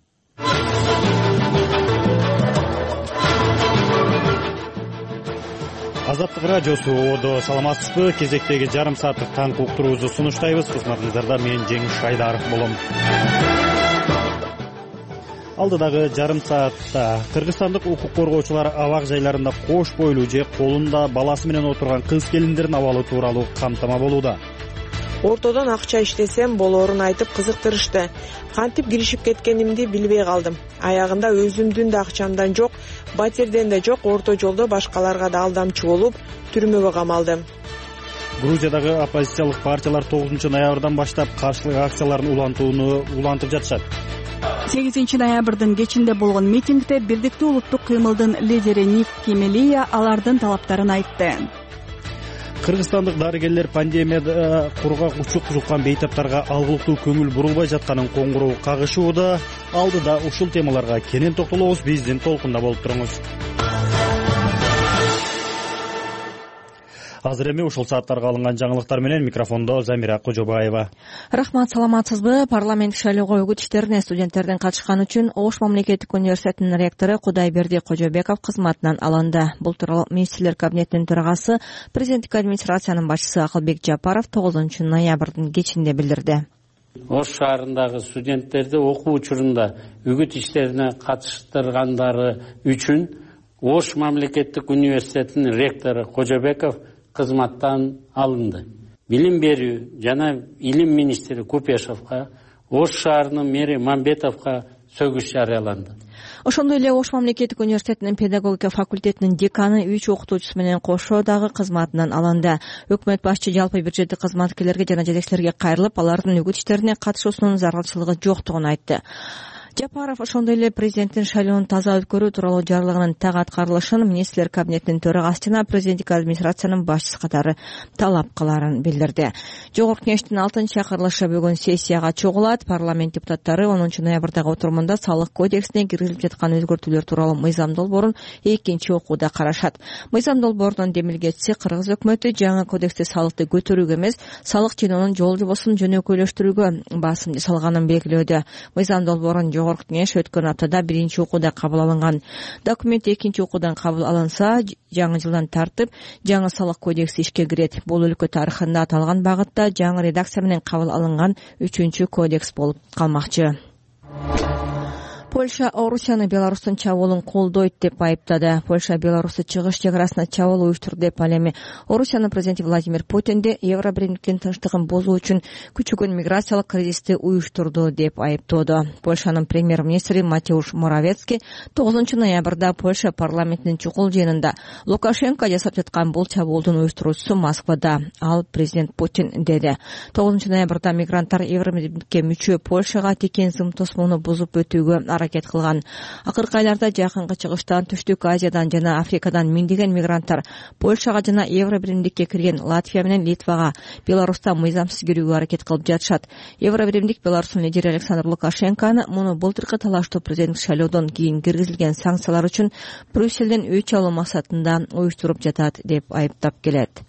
Азаттык радиосу одо, саламатсызбы? Кезектеги жарым сааттык таңкы уктуруубузду сунуштайбыз. Кызматыңыздарда мен Жеңиш Айдаров болом. Алдыдагы жарым саатта кыргызстандык укук коргоочулар абак жайларында кош бойлуу же колунда баласы менен отурган кыз келиндердин абалы тууралуу камтама болууда. Ортодон акча иштесем болоорун айтып кызыктырышты. Кантип киришип кеткенимди билбей калдым. Аягында өзүмдүн да акчамдан жок, батирден да жок, орто жолдо башкаларга да алдамчы болуп, түрмөгө камалдым. Грузиядагы оппозициялык партиялар 9 ноябрдан баштап каршылык акцияларын улантып жатышат. 8 ноябрдын кечинде болгон митингде Бирдиктүү улуттук кыймылдын лидери Ник Кемелия алардын талаптарын айтты. Кыргызстандык дарыгерлер пандемияда кургак учук жуккан бейтаптарга алгылыктуу көңүл бурулбай жатканын коңгуроо кагышууда. Алдыда ушул темаларга кенен токтолобуз. Биздин толкунда болуп туруңуз. Азыр эми ушул сааттарга алынган жаңылыктар менен микрофондо Замира Кожобаева. Рахмат, саламатсызбы? Парламент шайлоого үгүт иштерине студенттердин катышканы үчүн Ош мамлекеттик университетинин ректору Кудайберди Кожобеков кызматынан алынды. Бул тууралуу министрлер кабинетинин төрагасы, президенттик администрациянын башчысы Акылбек Жапаров 9 ноябрдын кечинде билдирди. Ош шаарындагы студенттерди окуу учурунда үгүт иштерине катыштыргандары үчүн Ош мамлекеттик университетинин ректору Кожобеков кызматтан алынды. Билим берүү жана илим министри Купешовго, Ош шаарынын мэри Мамбетовго сөгүш жарыяланды. Ошондой эле Ош мамлекеттик университетинин педагогика факультетинин деканы 3 окутуучусу менен кошо дагы кызматынан алынды. Өкмөт башчы жалпы бюджеттик кызматкерлерге жана жетекчилерге кайрылып, алардын үгүт иштерине катышуусунун зарылчылыгы жоктугун айтты. Жапаров ошондой эле президенттин шайлоонун таза өткөрүү тууралуу жарлыгынын так аткарылышын министрлер кабинетинин төрагасы жана президенттик администрациянын башчысы катары талап кылаарын билдирди. Жогорку кеңештин 6-чакырылышы бүгүн сессияга чогулат. Парламент депутаттары 10 ноябрдагы отурумунда салык кодексине киргизилип жаткан өзгөртүүлөр тууралуу мыйзам долбоорун 2-окууда карашат. Мыйзам долбоорунун демилгечиси Кыргыз өкмөтү жаңы кодексте салыкты көтөрүүгө эмес, салык жыноонун жол жобосун жөнөкөйлөштүрүүгө басым жасалганын белгилөөдө. Мыйзам долбоорун Жогорку кеңеш өткөн аптада 1-окууда кабыл алынган. Документ 2-окуудан кабыл алынса, жаңы жылдан тартып жаңы салык кодекси ишке кирет. Бул өлкө тарыхында аталган багытта жаңы редакция менен кабыл алынган 3-кодекс болуп калмакчы. Польша Орусияны Беларустун чабуулун колдойт деп айыптады. Польша Беларусту чыгыш чек арасына чабуул уюштурду деп ал эми Орусиянын президенти Владимир Путинди Евробиримдиктин тынчтыгын бузуу үчүн күчөгөн миграциялык кризисти уюштурду деп айыптоодо. Польшанын премьер-министри Матеуш Моравецкий 9 ноябрда Польша парламентинин чукул жыйынында Лукашенко жасап жаткан бул чабуулдун уюштуруучусу Москвада, ал президент Путин деди. 9 ноябрда мигранттар Евробиримдикке мүчө Польшага текен зым тосмону бузуп өтүүгө аракет кылган. Акыркы айларда жакынкы чыгыштан, Түштүк Азиядан жана Африкадан миңдеген мигранттар Польшага жана Евробиримдикке кирген Латвия менен Литвага, Беларуста мыйзамсыз кирүүгө аракет кылып жатышат. Евробиримдик Беларустун лидери Александр Лукашенкону муну былтыркы талаштуу президенттик шайлоодон кийин киргизилген санкциялар үчүн Брюссельден өч алуу максатында уюштуруп жатат деп айыптап келет.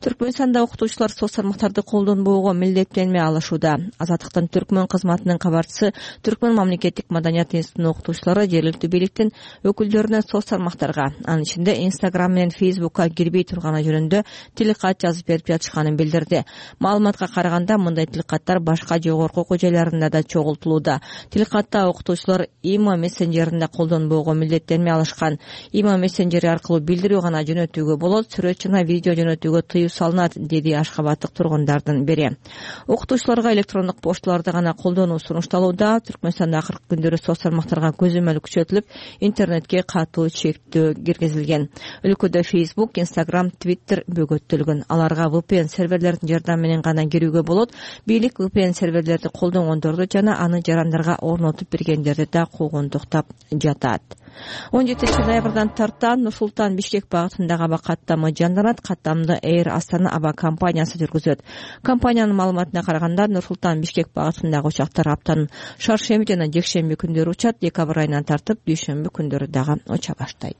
Түркмөнстанда окутуучулар соц тармактарды колдонбоого милдеттенме алышууда. Азаттыктын Түркмөн кызматынын кабарчысы Түркмөн мамлекеттик маданият институтунун окутуучулары жергиликтүү бийликтин өкүлдөрүнө соц тармактарга, анын ичинде Instagram менен Facebookка кирбей турганы жөнүндө тилкат жазып берип жатышканын билдирди. Маалыматка караганда мындай тилкаттар башка жогорку окуу жайларында да чогултулууда. Тилкатта окутуучулар Imo мессенжеринде колдонбоого милдеттенме алышкан. Imo мессенжери аркылуу билдирүү гана жөнөтүүгө болот, сүрөт жана видео жөнөтүүгө кирүүгө тыюу салынат, деди Ашхабадтык тургундардын бири. Окутуучуларга электрондук пошталарды гана колдонуу сунушталууда. Түркмөнстанда акыркы күндөрү соц тармактарга көзөмөл күчөтүлүп, интернетке катуу чектөө киргизилген. Өлкөдө Facebook, Instagram, Twitter бөгөттөлгөн. Аларга VPN серверлердин жардамы менен гана кирүүгө болот. Бийлик VPN серверлерди колдонгондорду жана аны жарандарга орнотуп бергендерди да куугунтуктап жатат. 17 ноябрдан тарттан Нур-Султан Бишкек багытындагы аба каттамы жанданат. Каттамды Air Астана аба компаниясы жүргүзөт. Компаниянын маалыматына караганда, Нур-Султан Бишкек багытындагы учактар аптанын шаршемби жана жекшемби күндөрү учат. Декабрь айынан тартып, дүйшөмбү күндөрү дагы уча баштайт.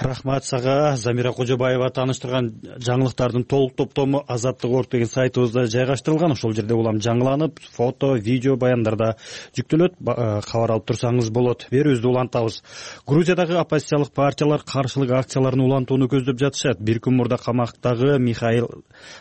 Рахмат сага. Замира Кожобаева тааныштырган жаңылыктардын толук топтому Азаттык орг деген сайтыбызда жайгаштырылган. Ошол жерде улам жаңыланып, фото, видео баяндарда жүктөлөт. Кабар алып турсаңыз болот. Берүүбүздү улантабыз. Грузиядагы оппозициялык партиялар каршылык акцияларын улантууну көздөп жатышат. Бир күн мурда камактагы Михаил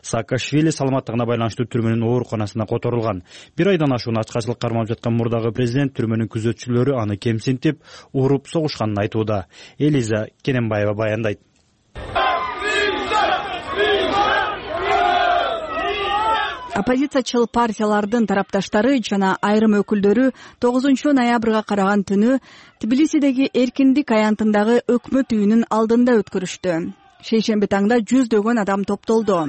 Саакашвили саламаттыгына байланыштуу түрмөнүн ооруканасына которулган. Бир айдан ашуун ачкачылык кармалып жаткан мурдагы президент түрмөнүн күзөтчүлөрү аны кемсинтип, уруп согушканын айтууда. Элиза Кененбаева баяндайт. Оппозициячыл партиялардын тарапташтары жана айрым өкүлдөрү 9 ноябрга караган түнү Тбилисидеги Эркиндик аянтындагы өкмөт үйүнүн алдында өткөрүштү. Шейшемби таңда жүздөгөн адам топтолду.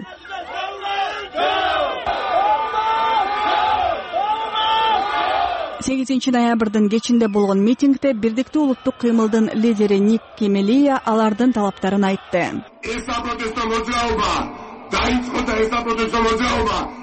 8 ноябрдын кечинде болгон митингде Бирдиктүү улуттук кыймылдын лидери Ник Кемелия алардын талаптарын айтты.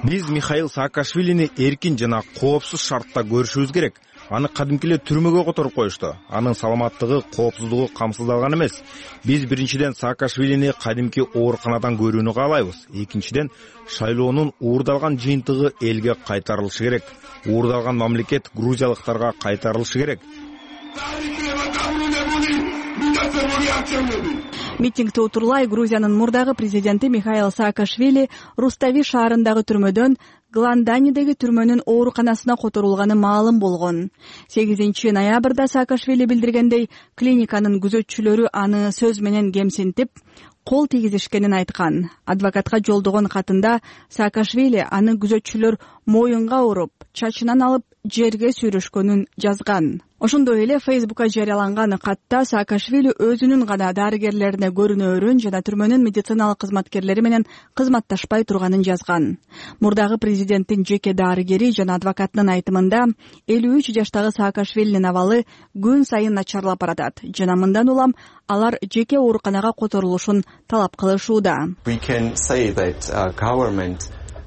Биз Михаил Саакашвилини эркин жана коопсуз шартта көрүшүбүз керек. Аны кадимки эле түрмөгө которуп коюшту. Анын саламаттыгы, коопсуздугу камсыздалган эмес. Биз биринчиден Саакашвилини кадимки ооруканадан көрүүнү каалайбыз. Экинчиден, шайлоонун уурдалган жыйынтыгы элге кайтарылышы керек. Уурдалган мамлекет грузиялыктарга кайтарылышы керек. Митингди утурлай Грузиянын мурдагы президенти Михаил Саакашвили Рустави шаарындагы түрмөдөн Гланданидеги түрмөнүн ооруканасына которулганы маалым болгон. 8 ноябрда Саакашвили билдиргендей, клиниканын күзөтчүлөрү аны сөз менен кемсинтип, кол тийгизишкенин айткан. Адвокатка жолдогон катында Саакашвили аны күзөтчүлөр моюнга уруп, чачынан алып жерге сүйрөшкөнүн жазган. Ошондой эле Facebook'ка жарыяланган катта Саакашвили өзүнүн гана дарыгерлерине көрүнөөрүн жана түрмөнүн медициналык кызматкерлери менен кызматташпай турганын жазган. Мурдагы президенттин жеке дарыгери жана адвокатынын айтымында 53 жаштагы Саакашвилинин абалы күн сайын начарлап баратат жана мындан улам алар жеке ооруканага которулушун талап кылышууда.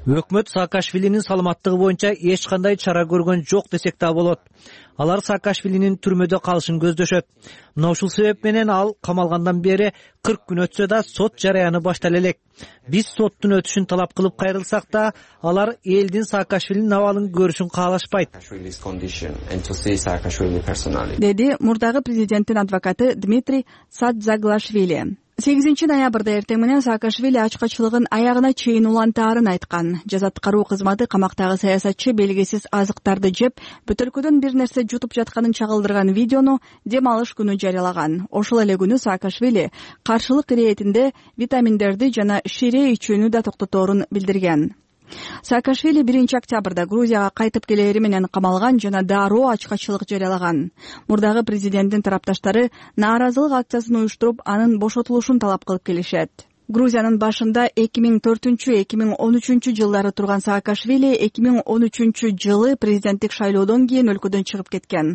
Өкмөт Саакашвилинин саламаттыгы боюнча эч кандай чара көргөн жок десек да болот. Алар Саакашвилинин түрмөдө калышын көздөшөт. Мына ушул себеп менен ал камалгандан бери 40 күн өтсө да сот жараяны баштала элек. Биз соттун өтүшүн талап кылып кайрылсак да, алар элдин Саакашвилинин абалын көрүшүн каалашпайт, деди мурдагы президенттин адвокаты Дмитрий Садзаглашвили. 8 ноябрда эртең менен Саакашвили ачкачылыгын аягына чейин улантаарын айткан. Жазаткаруу кызматы камактагы саясатчы белгисиз азыктарды жеп, бөтөлкөдөн бир нерсе жутуп жатканын чагылдырган видеону дем алыш күнү жарыялаган. Ошол эле күнү Саакашвили каршылык иретинде витаминдерди жана шире ичүүнү да токтоторун билдирген. Саакашвили 1 октябрда Грузияга кайтып келери менен камалган жана дароо ачкачылык жарыялаган. Мурдагы президенттин тарапташтары нааразылык акциясын уюштуруп, анын бошотулушун талап кылып келишет. Грузиянын башында 2004-2013 жылдары турган Саакашвили 2013 жылы президенттик шайлоодон кийин өлкөдөн чыгып кеткен.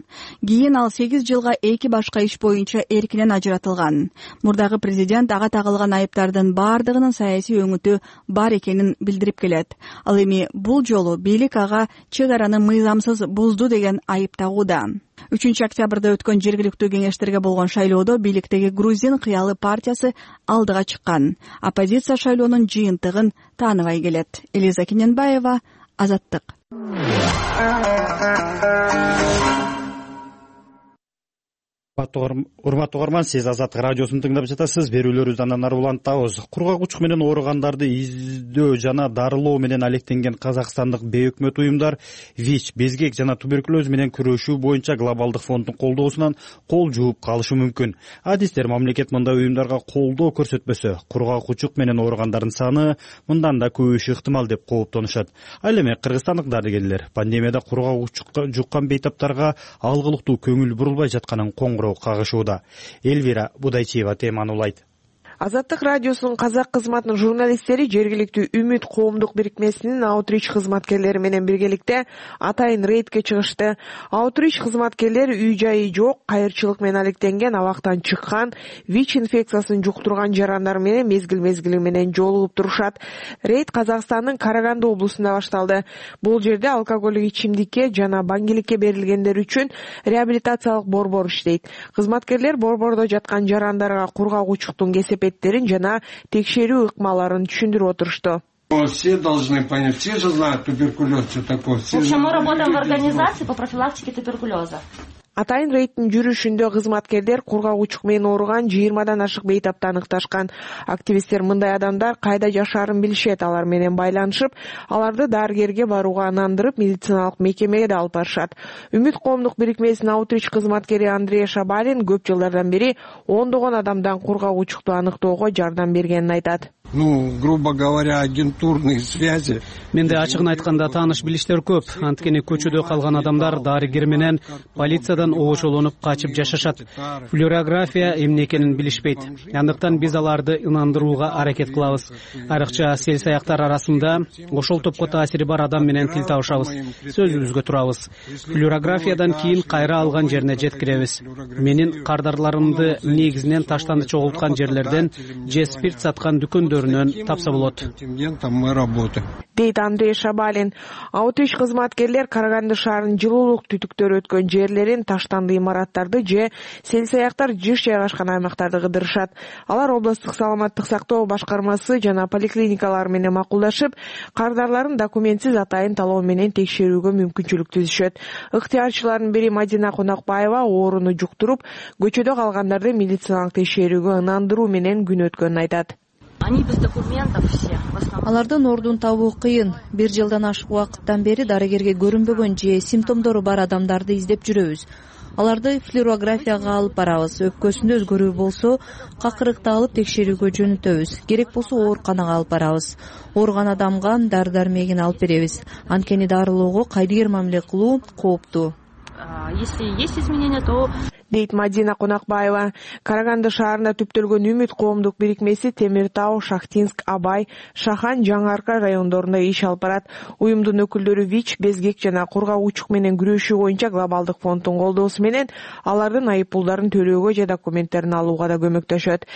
Кийин ал 8 жылга 2 башка иш боюнча эркинен ажыратылган. Мурдагы президент ага тагылган айыптардын баардыгынын саясий өңүтү бар экенин билдирип келет. Ал эми бул жолу бийлик ага чек араны мыйзамсыз бузду деген айып тагууда. 3 октябрда өткөн жергиликтүү кеңештерге болгон шайлоодо бийликтеги Грузин кыялы партиясы алдыга чыккан. Оппозиция шайлоонун жыйынтыгын тааныбай келет. Элиза Кененбаева, Азаттык. урматтуу угарман, сиз Азаттык радиосун тыңдап жатасыз. Берүүлөрүбүздү андан ары улантабыз. Кургак учук менен ооругандарды издөө жана дарылоо менен алектенген казакстандык бейөкмөт уюмдар ВИЧ, безгек жана туберкулез менен күрөшүү боюнча глобалдык фонддун колдоосунан кол жууп калышы мүмкүн. Адистер мамлекет мындай уюмдарга колдоо көрсөтпөсө, кургак учук менен ооругандардын саны мындан да көбөйүшү ыктымал деп кооптонушат. Ал эми кыргызстандык дарыгерлер пандемияда кургак учукка жуккан бейтаптарга алгылыктуу көңүл бурулбай жатканын коңгуроо кагышууда. Элвира Будайчиева теманы улайт. Азаттык радиосунун казак кызматынын журналисттери жергиликтүү Үмүт коомдук бирикмесинин аутрич кызматкерлери менен биргеликте атайын рейдке чыгышты. Аутрич кызматкерлери үй-жайы жок, кайырчылык менен алектенген, абактан чыккан, ВИЧ инфекциясын жуктурган жарандар менен мезгил менен жолугуп турушат. Рейд Казакстандын Караганды облусунда башталды. Бул жерде алкоголдук ичимдикке жана баңгиликке берилгендер үчүн реабилитациялык борбор иштейт. Кызматкерлер борбордо жаткан жарандарга кургак учуктун кесепеттерин жана текшерүү ыкмаларын түшүндүрүп отурушту. Все должны понять, все же знают туберкулез, что такое. В общем, мы работаем в организации по профилактике туберкулеза. Атайын рейдтин жүрүшүндө кызматкерлер кургак учук менен ооруган 20дан ашык бейтапты аныкташкан. Активисттер мындай адамдар кайда жашаарын билишет, алар менен байланышып, аларды дарыгерге барууга ынандырып, медициналык мекемеге да алып барышат. Үмүт коомдук бирикмесинин аутрич кызматкери Андрей Шабалин көп жылдардан бери ондогон адамдан кургак учукту аныктоого жардам бергенин айтат. Грубо говоря, агентурные связи. Менде ачыгын айтканда тааныш билиштер көп. Анткени көчөдө калган адамдар дарыгер менен полициядан оошолонуп качып жашашат. Флюорография эмне экенин билишпейт. Андыктан биз аларды ынандырууга аракет кылабыз. Айрыкча сел саяктар арасында ошол топко таасири бар адам менен тил табышабыз. Сөзүбүзгө турабыз. Флюорографиядан кийин кайра алган жерине жеткиребиз. Менин кардарларымды негизинен таштанды чогулткан жерлерден же спирт саткан дүкөндөрүнөн тапса болот. Дейт Андрей Шабалин. Аутрич кызматкерлер Караганды шаарынын жылуулук түтүктөрү өткөн жерлерин, таштанды имараттарды же сел саяктар жыш жайгашкан аймактарды кыдырышат. Алар облустук саламаттык сактоо башкармасы жана поликлиникалар менен макулдашып, кардарларын документсиз атайын талоо менен текшерүүгө мүмкүнчүлүк түзүшөт. Ыктыярчылардын бири Мадина Конакбаева ооруну жуктуруп, көчөдө калгандарды медициналык текшерүүгө ынандыруу менен күн өткөнүн айтат. Они без документов все. Алардын ордун табуу кыйын. 1 жылдан ашык убакыттан бери дарыгерге көрүнбөгөн же симптомдору бар адамдарды издеп жүрөбүз. Аларды флюорографияга алып барабыз. Өпкөсүндө өзгөрүү болсо, какырыкты алып текшерүүгө жөнөтөбүз. Керек болсо ооруканага алып барабыз. Ооруган адамга дары-дармегин алып беребиз. Анткени дарылоого кайдыгер мамиле кылуу кооптуу. Если есть изменения, то дейт Мадина Конакбаева. Караганды шаарында түптөлгөн Үмүт коомдук бирикмеси Темир Тау, Шахтинск, Абай, Шахан, Жаңы Арка райондорунда иш алып барат. Уюмдун өкүлдөрү ВИЧ, безгек жана кургак учук менен күрөшүү боюнча глобалдык фонддун колдоосу менен алардын айыппулдарын төлөөгө же документтерин алууга да көмөктөшөт.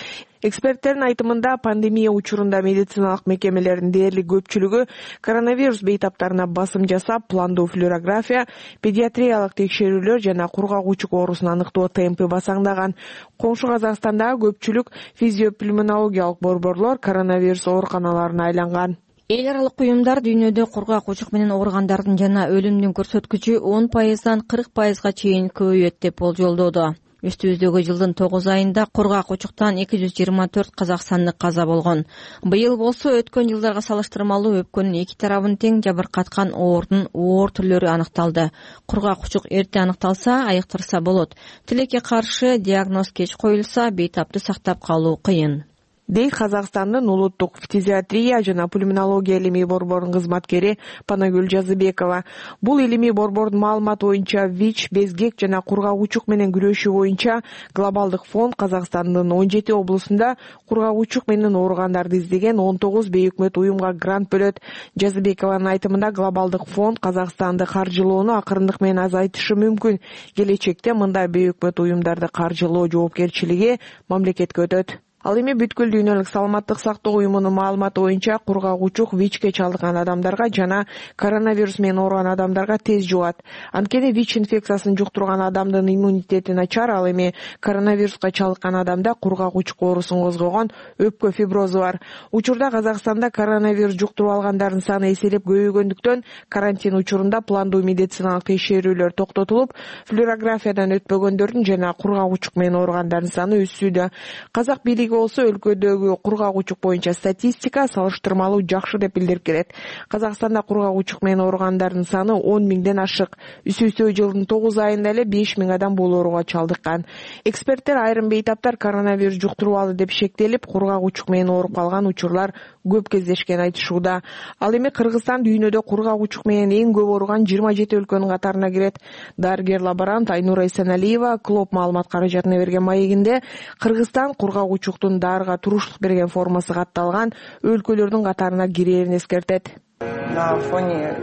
Эксперттердин айтымында пандемия учурунда медициналык мекемелердин дээрлик көпчүлүгү коронавирус бейтаптарына басым жасап, пландуу флюорография, педиатриялык текшерүүлөр жана кургак учук оорусун аныктоо темпи басаңдаган. Коңшу Казакстандагы көпчүлүк физиопульмонологиялык борборлор коронавирус ооруканаларына айланган. Эл аралык уюмдар дүйнөдө кургак учук менен ооругандардын жана өлүмдүн көрсөткүчү 10%дан 40%га чейин көбөйөт деп болжолдоду. Үстүбүздөгү жылдын 9 айында кургак учуктан 224 казакстандык каза болгон. Быйыл болсо өткөн жылдарга салыштырмалуу өпкөнүн эки тарабын тең жабыркаткан оордун оор түрлөрү аныкталды. Кургак учук эрте аныкталса, айыктырса болот. Тилекке каршы диагноз кеч коюлса, бейтапты сактап калуу кыйын. Дейт Казакстандын улуттук фтизиатрия жана пульмонология илимий борборунун кызматкери Панагүл Жазыбекова. Бул илимий борбордун маалыматы боюнча ВИЧ, безгек жана кургак учук менен күрөшүү боюнча глобалдык фонд Казакстандын 17 облусунда кургак учук менен ооругандарды издеген 19 бейөкмөт уюмга грант бөлөт. Жазыбекованын айтымында глобалдык фонд Казакстанды каржылоону акырындык менен азайтышы мүмкүн. Келечекте мындай бейөкмөт уюмдарды каржылоо жоопкерчилиги мамлекетке өтөт. Ал эми бүткүл дүйнөлүк саламаттык сактоо уюмунун маалыматы боюнча кургак учук ВИЧке чалдыккан адамдарга жана коронавирус менен ооруган адамдарга тез жугат. Анткени ВИЧ инфекциясын жуктурган адамдын иммунитети начар, ал эми коронавируска чалдыккан адамда кургак учук оорусун козгогон өпкө фиброзу бар. Учурда Казакстанда коронавирус жуктуруп алгандардын саны эселеп көбөйгөндүктөн карантин учурунда пландуу медициналык текшерүүлөр токтотулуп, флюорографиядан өтпөгөндөрдүн жана кургак учук менен ооругандардын саны өссүүдө. Казак бийлиги болсо өлкөдөгү кургак учук боюнча статистика салыштырмалуу жакшы деп билдирип келет. Казакстанда кургак учук менен ооругандардын саны 10 миңден ашык. Үсүү жылдын 9 айында эле 5 миң адам бул ооруга чалдыккан. Эксперттер айрым бейтаптар коронавирус жуктуруп алды деп шектелип, кургак учук менен ооруп калган учурлар көп кездешкен айтышууда. Ал эми Кыргызстан дүйнөдө кургак учук менен эң көп ооруган 27 өлкөнүн катарына кирет. Дарыгер лаборант Айнура Эсеналиева Клоп маалымат каражатына берген маегинде Кыргызстан кургак учуктун дарыга туруштук берген формасы катталган өлкөлөрдүн катарына кирерин эскертет. На фоне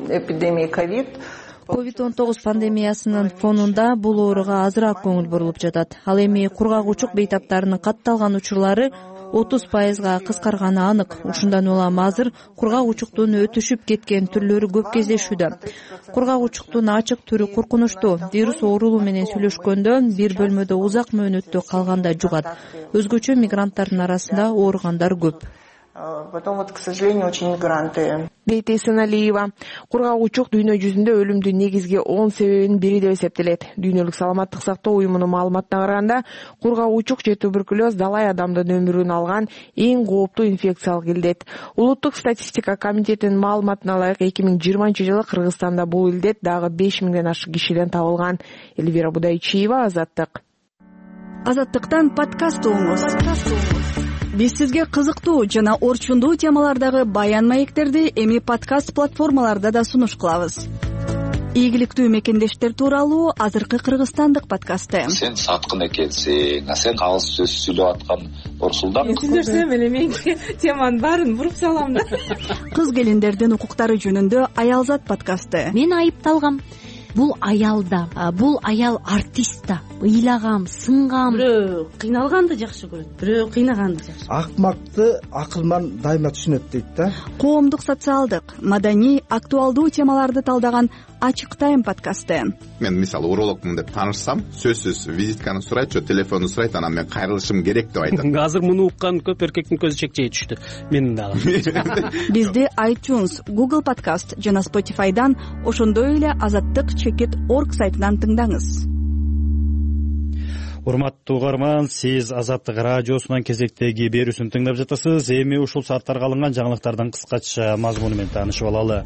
эпидемии ковид COVID-19 пандемиясынын фонунда бул ооруга азыраак көңүл бурулуп жатат. Ал эми кургак учук бейтаптарынын катталган учурлары 30%га кыскарганы анык. Ушундан улам азыр кургак учуктун өтүшүп кеткен түрлөрү көп кездешүүдө. Кургак учуктун ачык түрү коркунучтуу. Вирус оорулуу менен сүйлөшкөндө бир бөлмөдө узак мөөнөттө калганда жугат. Өзгөчө мигранттардын арасында ооругандар көп. Потом вот, к сожалению, очень мигранты. Дейт Эсеналиева. Кургак учук дүйнө жүзүндө өлүмдүн негизги 10 себебинин бири деп эсептелет. Дүйнөлүк саламаттык сактоо уюмунун маалыматына караганда, кургак учук же туберкулез далай адамдын өмүрүн алган эң кооптуу инфекциялык илдет. Улуттук статистика комитетинин маалыматына ылайык 2020-жылы Кыргызстанда бул илдет дагы 5 миңден ашык кишиден табылган. Эльвира Будайчиева, Азаттык. Азаттыктан подкаст угуңуз. Биз сизге кызыктуу жана орчундуу темалардагы баян маектерди эми подкаст платформаларда да сунуш кылабыз. Ийгиликтүү мекендештер тууралуу азыркы кыргызстандык подкасты. Сен саткын экенсиң, сен калыс сөз сүйлөп аткан Орсулдан. Сүйлөсөм эле мен теманын баарын буруп салам да. Кыз келиндердин укуктары жөнүндө Аялзат подкасты. Мен айыпталгам. Бул аялда, бул аял артист да. Ыйлагам, сынгам. Бирөө кыйналганды жакшы көрөт, бирөө кыйнаганды жакшы. Акмакты акылман дайыма түшүнөт дейт да. Коомдук, социалдык, маданий, актуалдуу темаларды талдаган Ачык тайм подкасты. Мен мисалы урологмун деп таанышсам, сөзсүз визитканы сурайт, же телефонду сурайт, анан мен кайрылышым керек деп айтат. Азыр муну уккан көп эркектин көзү чекчей түштү. Менин дагы. Бизди iTunes, Google Podcast жана Spotify'дан, ошондой эле azattyk.org сайтынан тыңдаңыз. Урматтуу угарман, сиз Азаттык радиосунун кезектеги берүүсүн тыңдап жатасыз. Эми ушул сааттарга алынган жаңылыктардын кыскача мазмуну менен таанышып алалы.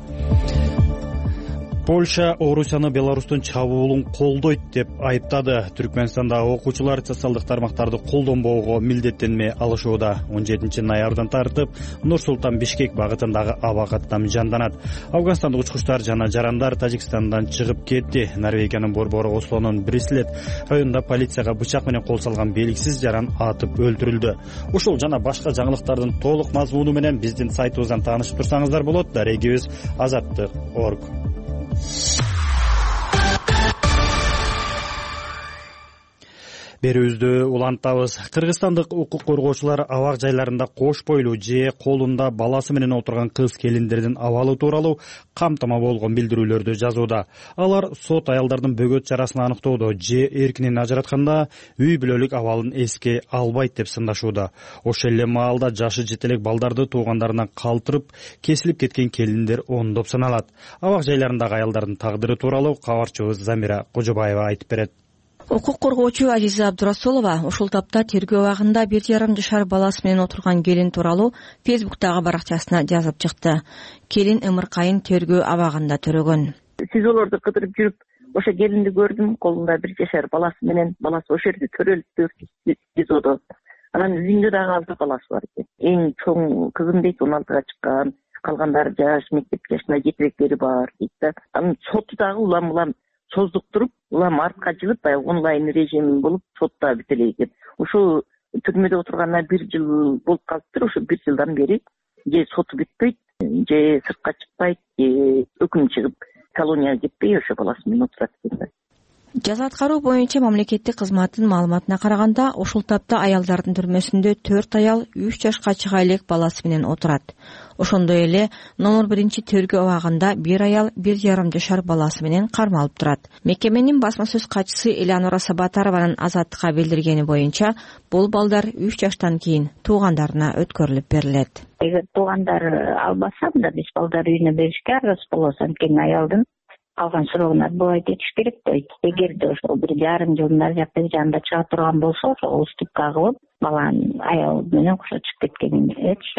Польша Орусияны Беларустун чабуулун колдойт деп айыптады. Түркмөнстанда окуучулар социалдык тармактарды колдонбоого милдеттенме алышууда. 17 ноябрдан тартып Нур-Султан Бишкек багытындагы аба каттам жанданат. Афганстандык учкучтар жана жарандар Тажикстандан чыгып кетти. Норвегиянын борбору Ослонун Брислет районунда полицияга бычак менен кол салган белгисиз жаран атып өлтүрүлдү. Ушул жана башка жаңылыктардын толук мазмуну менен биздин сайтыбыздан таанышып турсаңыздар болот. Дарегибиз azattyk.org. Берүүбүздү улантабыз. Кыргызстандык укук коргоочулар абак жайларында кош бойлуу же колунда баласы менен отурган кыз келиндердин абалы тууралуу камтама болгон билдирүүлөрдү жазууда. Алар сот аялдардын бөгөт жарасын аныктоодо же эркинен ажыратканда үй бүлөлүк абалын эске албайт деп сындашууда. Ошол эле маалда жашы жете элек балдарды туугандарынан калтырып, кесилип кеткен келиндер ондоп саналат. Абак жайларындагы аялдардын тагдыры тууралуу кабарчыбыз Замира Кожобаева айтып берет. Укук коргоочу Азиза Абдурасулова ушул тапта тергөө абагында 1,5 жашар баласы менен отурган келин тууралуу Фейсбуктагы баракчасына жазып чыкты. Келин ымыркайын тергөө абагында төрөгөн. СИЗОлорду кыдырып жүрүп, ошо келинди көрдүм, колунда 1 жашар баласы менен, баласы ошол жерде төрөлүптү СИЗОдо. Анан үйүндө дагы алты баласы бар экен. Эң чоң кызым дейт 16-га чыккан, калгандары жаш, мектеп жашына жетебектери бар дейт да. Анан соту дагы улам создуктуруп, улам артка жылып, баягы онлайн режим болуп, сотта бүт эле экен. Ошо түрмөдө отурганына 1 жыл болуп калыптыр. Ошо 1 жылдан бери же соту бүтпөйт, же сыртка чыкпайт, же өкүм чыгып колонияга кетпей ошо баласы менен отурат экен да. Жаза аткаруу боюнча мамлекеттик кызматтын маалыматына караганда, ушул тапта аялдардын түрмөсүндө 4 аял 3 жашка чыга элек баласы менен отурат. Ошондой эле номер 1 тергөө абагында 1 аял 1,5 жашар баласы менен кармалып турат. Мекеменин басма сөз катчысы Элеонора Сабатарованын Азаттыкка билдиргени боюнча, бул балдар 3 жаштан кийин туугандарына өткөрүлүп берилет. Эгер туугандар албаса, мында биз балдар үйүнө беришке арыз болобуз. Анткени аялдын калган сурогуна арбабайт этиш керек дейт. Эгерде ошол 1,5 жылдын ар жакта жанында чыга турган болсо, ошол уступка кылып, баланын аял менен кошо чыгып кеткенин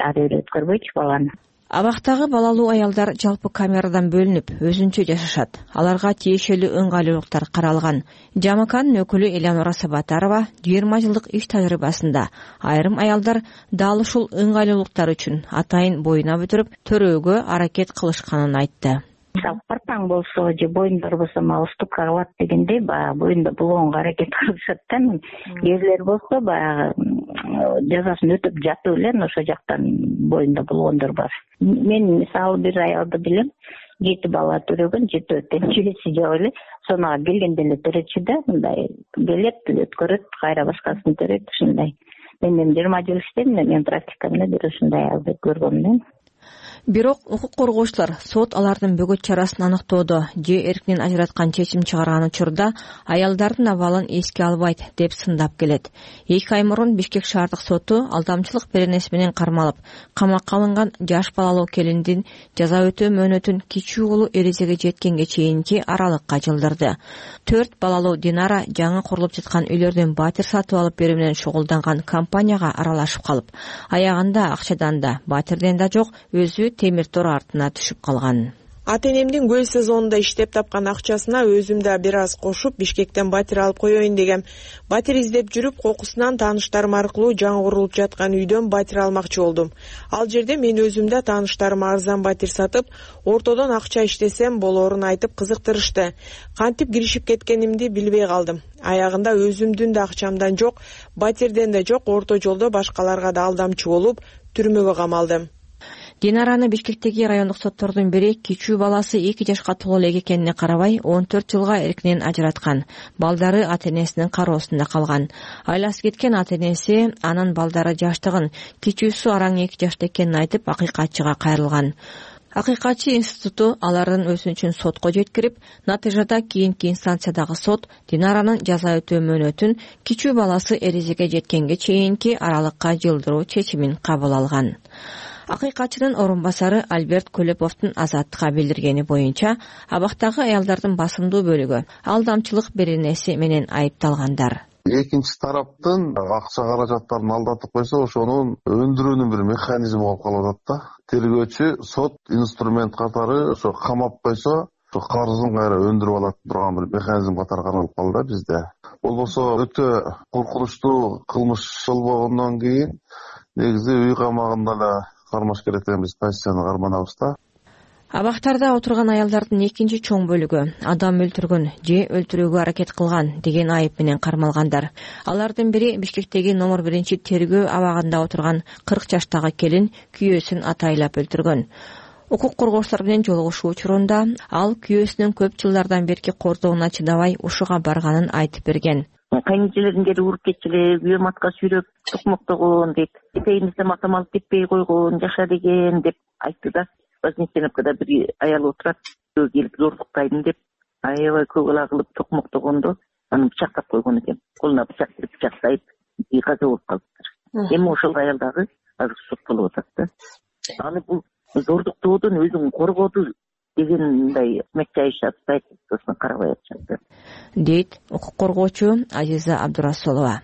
ар бир өткөрбөйчү баланы. Абактагы балалуу аялдар жалпы камерадан бөлүнүп, өзүнчө жашашат. Аларга тиешелүү ыңгайлуулуктар каралган. ЖАМКнын өкүлү Элеонора Сабатарова 20 жылдык иш тажрыйбасында айрым аялдар дал ушул ыңгайлуулуктар үчүн атайын боюна бүтүрүп, төрөөгө аракет кылышканын айтты. Мисалы парпаң болсо же боюндар болсо уступка кылат дегендей, баягы боюнда булоонго аракет кылышат да. Эрлер болсо баягы жазасын өтөп жатып эле ошо жактан боюнда булгондор бар. Мен мисалы бир аялды билем, 7 бала төрөгөн, 7 жебеси жок эле, сонага келгенде эле төрөчү да, мындай келет, өткөрөт, кайра башкасын төрөйт, ушундай. Мен 20 жыл иштедим, мен практикамда бир ушундай аялды көргөм. Бирок укук коргоочулар сот алардын бөгөт чарасын аныктоодо же эркинен ажыраткан чечим чыгарган учурда аялдардын абалын эске албайт деп сындап келет. 2 ай мурун Бишкек шаардык соту алдамчылык беренеси менен кармалып, камакка алынган жаш балалуу келиндин жаза өтөө мөөнөтүн кичүү уулу эрезеге жеткенге чейинки аралыкка жылдырды. 4 балалуу Динара жаңы курулуп жаткан үйлөрдөн батир сатып алып берүү менен шугулданган компанияга аралашып калып, аягында акчадан да, батирден да жок, өзү темир тор артына түшүп калган. Ата-энемдин көл сезонунда иштеп тапкан акчасына өзүм да бир аз кошуп Бишкектен батир алып коеюн дегем. Батир издеп жүрүп, кокусунан тааныштарым аркылуу жаңы курулуп жаткан үйдөн батир алмакчы болдум. Ал жерде мен өзүм да тааныштарыма арзан батир сатып, ортодон акча иштесем болоорун айтып кызыктырышты. Кантип киришип кеткенимди билбей калдым. Аягында өзүмдүн да акчамдан жок, батирден да жок, орто жолдо башкаларга да алдамчы болуп, түрмөгө камалдым. Динараны Бишкектеги райондук соттордун бири кичүү баласы 2 жашка толо элек экенине карабай 14 жылга эркинен ажыраткан. Балдары ата-энесинин кароосунда калган. Айласы кеткен ата-энеси анын балдары жаштыгын, кичүүсү араң 2 жашта экенин айтып, акыйкатчыга кайрылган. Акыйкатчы институту алардын өтүнүчүн сотко жеткирип, натыйжада кийинки инстанциядагы сот Динаранын жаза өтөө мөөнөтүн кичүү баласы эрезеге жеткенге чейинки аралыкка жылдыруу чечимин кабыл алган. Акыйкатчынын орун басары Альберт Көлөповдун Азаттыкка билдиргени боюнча, абактагы аялдардын басымдуу бөлүгү алдамчылык беренеси менен айыпталгандар. Экинчи тараптын акча каражаттарын алдатып койсо, ошонун өндүрүүнүн бир механизми болуп калып атат да. Тергөөчү сот инструмент катары ошо камап койсо, карызын кайра өндүрүп алат турган бир механизм катары каралып калды бизде. Болбосо өтө коркунучтуу кылмыш болбогондон кийин негизи үй камагында эле кармаш керек деген биз позицияны карманабыз да. Абактарда отурган аялдардын экинчи чоң бөлүгү адам өлтүргөн же өлтүрүүгө аракет кылган деген айып менен кармалгандар. Алардын бири Бишкектеги номер 1 тергөө абагында отурган 40 жаштагы келин күйөөсүн атайлап өлтүргөн. Укук коргоочулар менен жолугушуу учурунда ал күйөөсүнүн көп жылдардан берки кордоонуна чыдабай ушуга барганын айтып берген. Кайнчелерин келип уруп кетчиле, күйөөм атка сүйрөп токмоктогон деп, этегинизде матам алып кетпей койгон, жаша деген деп айтты да. Вознесеновкада бир аял отурат, келип зордуктайдым деп, аябай көп ала кылып токмоктогондо, аны бычактап койгон экен. Колуна бычак берип бычактайт, каза болуп калыптыр. Эми ошол аял дагы азыр соттолуп атат да. Аны бул зордуктоодон өзүн коргоду деген мындай мекчайыш атпайт, сосын карабай атышат дейт укук коргоочу Азиза Абдурасулова.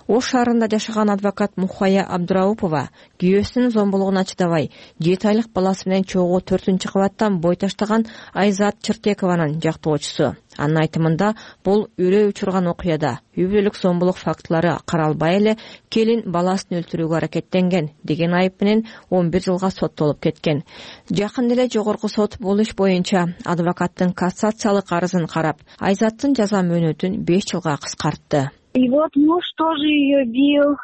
Ош шаарында жашаган адвокат Мухая Абдураупова күйөөсүнүн зомбулугуна чыдабай 7 айлык баласы менен чогуу 4-кабаттан бой таштаган Айзат Чыртекованын жактоочусу. Анын айтымында бул үрөй учурган окуяда үй бүлөлүк зомбулук фактылары каралбай эле келин баласын өлтүрүүгө аракеттенген деген айып менен 11 жылга соттолуп кеткен. Жакында эле жогорку сот бул иш боюнча адвокаттын кассациялык арызын карап, Айзаттын жаза мөөнөтүн 5 жылга кыскартты. И вот муж тоже ее бил,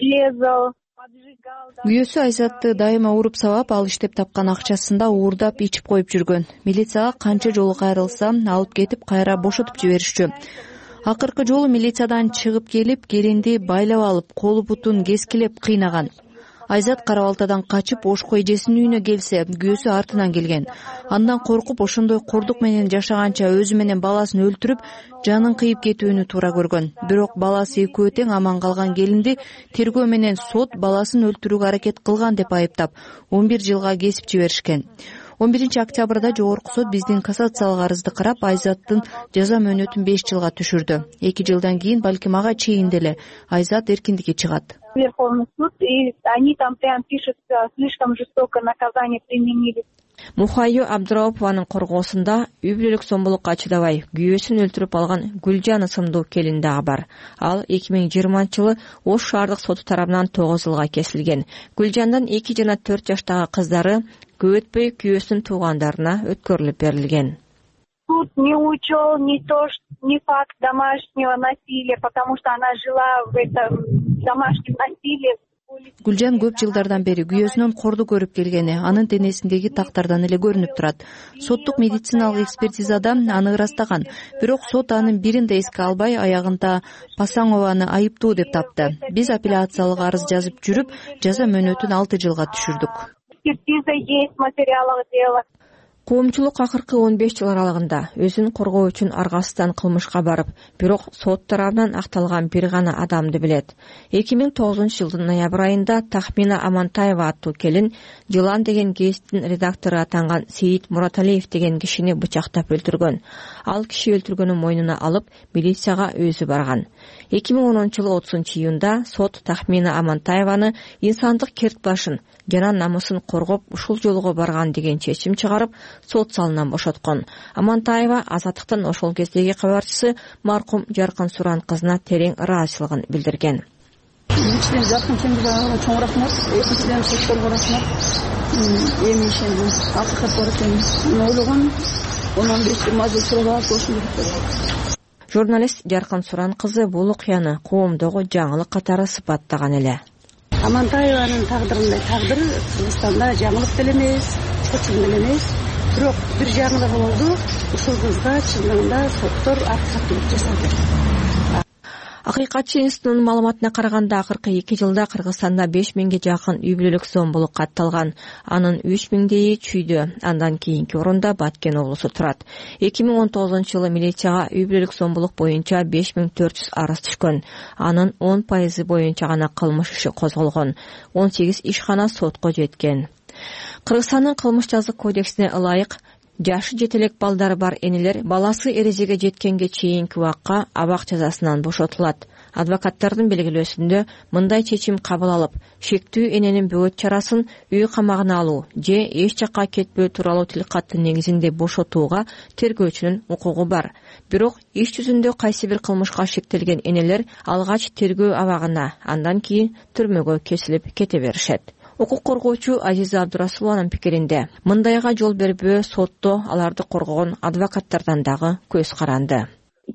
резал. Күйөөсү Айзатты дайыма уруп сабап, ал иштеп тапкан акчасында уурдап ичип коюп жүргөн. Милицияга канча жолу кайрылса, алып кетип кайра бошотуп жиберишчү. Акыркы жолу милициядан чыгып келип, келинди байлап алып, колу бутун кескилеп кыйнаган. Айзат кара балтадан качып Ошко эжесинин үйүнө келсе, күйөөсү артынан келген. Андан коркуп, ошондой кордук менен жашаганча өзү менен баласын өлтүрүп, жанын кыйып кетүүнү туура көргөн. Бирок баласы экөө тең аман калган келинди тергөө менен сот баласын өлтүрүүгө аракет кылган деп айыптап, 11 жылга кесип жиберишкен. 11 октябрда жогорку сот биздин кассациялык арызды карап, Айзаттын жаза мөөнөтүн 5 жылга түшүрдү. 2 жылдан кийин, балким ага чейин деле Айзат эркиндикке чыгат. Верховный суд, и они там прям пишут, слишком жестокое наказание применили. Мухайю Абдыраупованын коргоосунда үй бүлөлүк зомбулукка чыдабай күйөөсүн өлтүрүп алган Гүлжан ысымдуу келин дагы бар. Ал 2020-жылы Ош шаардык соту тарабынан 9 жылга кесилген. Гүлжандын 2 жана 4 жаштагы кыздары көп өтпөй күйөөсүнүн туугандарына өткөрүлүп берилген. Суд не учел ни факт домашнего насилия, потому что она жила в этом домашнем насилии. Гүлжан көп жылдардан бери күйөөсүнөн корду көрүп келгени анын денесиндеги тактардан эле көрүнүп турат. Соттук медициналык экспертизада аны ырастаган, бирок сот анын бирин да эске албай, аягында Пасанованы айыптуу деп тапты. Биз апелляциялык арыз жазып жүрүп, жаза мөөнөтүн 6 жылга түшүрдүк. Экспертиза есть, материалах дела. Коомчулук акыркы 15 жыл аралыгында өзүн коргоо үчүн аргасыздан кылмышка барып, бирок сот тарабынан акталган бир гана адамды билет. 2009-жылдын ноябрь айында Тахмина Амантаева аттуу келин Жылан деген гезиттин редактору атанган Сейит Мураталиев деген кишини бычактап өлтүргөн. Ал киши өлтүргөнүн мойнуна алып, милицияга өзү барган. 2010-жылы 30-июнда сот Тахмина Амантаеваны инсандык керт башын жана намысын коргоп ушул жолго барган деген чечим чыгарып, сот залынан бошоткон. Амантаева азаттыктын ошол кездеги кабарчысы маркум Жаркын Суран кызына терең ыраазычылыгын билдирген. Биринчиден Жаркын Чембирзановго чоң рахмат, экинчиден сотторго рахмат. Эми ишендим, акыркат бар экен. Ойлогон 15-20 жыл сурап ошондой. Журналист Жаркын Суран кызы бул окуяны коомдогу жаңылык катары сыпаттаган эле. Амантаеванын тагдырындай тагдыр Кыргызстанда жаңылык деле эмес, чоң деле эмес. Бирок бир жагы да болду, ушул кызга чындыгында соттор акыйкаттуулук жасады. Акыйкатчы институтунун маалыматына караганда, акыркы 2 жылда Кыргызстанда 5000ге жакын үй бүлөлүк зомбулук катталган. Анын 3000-деи чүйдө, андан кийинки орунда Баткен облусу турат. 2019-жылы милицияга үй бүлөлүк зомбулук боюнча 5400 арыз түшкөн. Анын 10% боюнча гана кылмыш иши козголгон. 18 ишкана сотко жеткен. Кыргызстандын кылмыш жазык кодексине ылайык жашы жетелек балдары бар энелер баласы эрежеге жеткенге чейинки убакка абак жазасынан бошотулат. Адвокаттардын белгилөөсүндө мындай чечим кабыл алып, шектүү эненин бөөт чарасын үй камагына алуу же эч жакка кетпөө тууралуу тилкаттын негизинде бошотууга тергөөчүнүн укугу бар. Бирок иш жүзүндө кайсы бир кылмышка шектелген энелер алгач тергөө абагына, андан кийин түрмөгө кесилип кете беришет. Укук коргоочу Азиза Абдурасулованын пикиринде, мындайга жол бербөө сотто аларды коргогон адвокаттардан дагы көз каранды.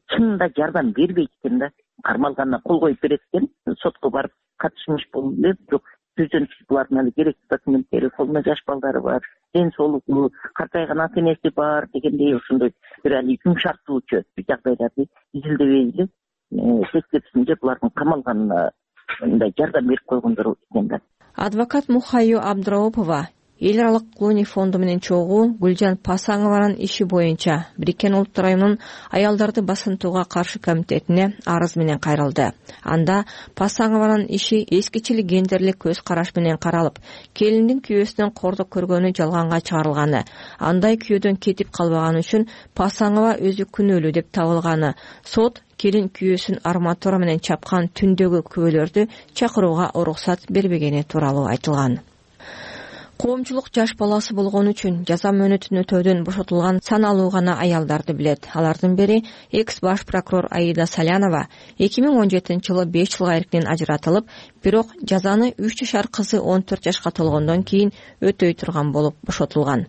Чынында жардам бербейт экен да, кармалганына кол коюп берет экен, сотко барып катышмыш болуп эле, бирок жүзөнчү булардын эле керектүү документтери, колунда жаш балдары бар, ден соолугу, картайган ата энеси бар дегендей ошондой бир али жумшартуучу жагдайларды изилдебей эле тескерисинче булардын камалганына мындай жардам берип койгондор экен да. Адвокат Мухайю Абдыраупова эл аралык Клуни фонду менен чогуу Гүлжан Пасанованын иши боюнча Бириккен Улуттар Уюмунун аялдарды басынтууга каршы комитетине арыз менен кайрылды. Анда Пасанованын иши эскичил гендерлик көз караш менен каралып, келиндин күйөөсүнөн кордук көргөнү жалганга чыгарылганы, андай күйөөдөн кетип калбаганы үчүн Пасанова өзү күнөөлүү деп табылганы, сот келин күйөөсүн арматура менен чапкан түндөгү күбөлөрдү чакырууга уруксат бербегени тууралуу айтылган. Коомчулук жаш баласы болгон үчүн жаза мөөнөтүн өтөөдөн бошотулган саналуу гана аялдарды билет. Алардын бири экс баш прокурор Аида Салянова 2017-жылы 5 жылга эркинен ажыратылып, бирок жазаны 3 жашар кызы 14 жашка толгондон кийин өтөй турган болуп бошотулган.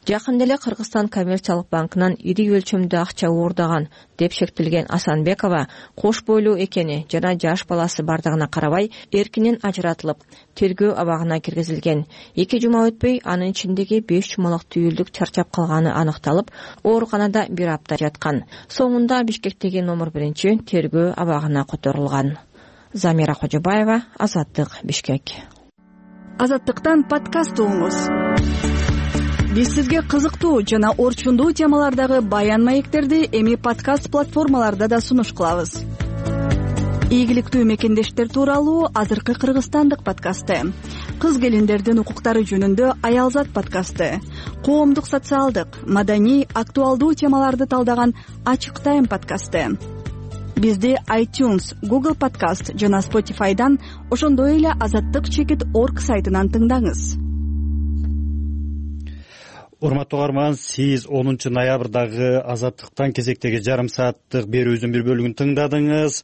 Жакында эле Кыргызстан коммерциялык банкынан ири өлчөмдө акча уурдаган деп шектелген Асанбекова кош бойлуу экени жана жаш баласы бардыгына карабай эркинен ажыратылып, тергөө абагына киргизилген. 2 жума өтпөй анын ичиндеги 5 жумалык түйүлдүк чарчап калганы аныкталып, ооруканада 1 апта жаткан. Соңунда Бишкектеги номер 1 тергөө абагына которулган. Замира Кожобаева, Азаттык, Бишкек. Азаттыктан подкаст угуңуз. Биз сизге кызыктуу жана орчундуу темалардагы баян маектерди эми подкаст платформаларда да сунуш кылабыз. Ийгиликтүү мекендештер тууралуу азыркы кыргызстандык подкасты, кыз келиндердин укуктары жөнүндө Аялзат подкасты, коомдук социалдык, маданий, актуалдуу темаларды талдаган Ачык Тайм подкасты. Бизди iTunes, Google Podcast жана Spotify'дан, ошондой эле azattyk.org сайтынан тыңдаңыз. Урматтуу угарман, сиз 10 ноябрдагы Азаттыктан кезектеги жарым сааттык берүүбүздүн бир бөлүгүн тыңдадыңыз.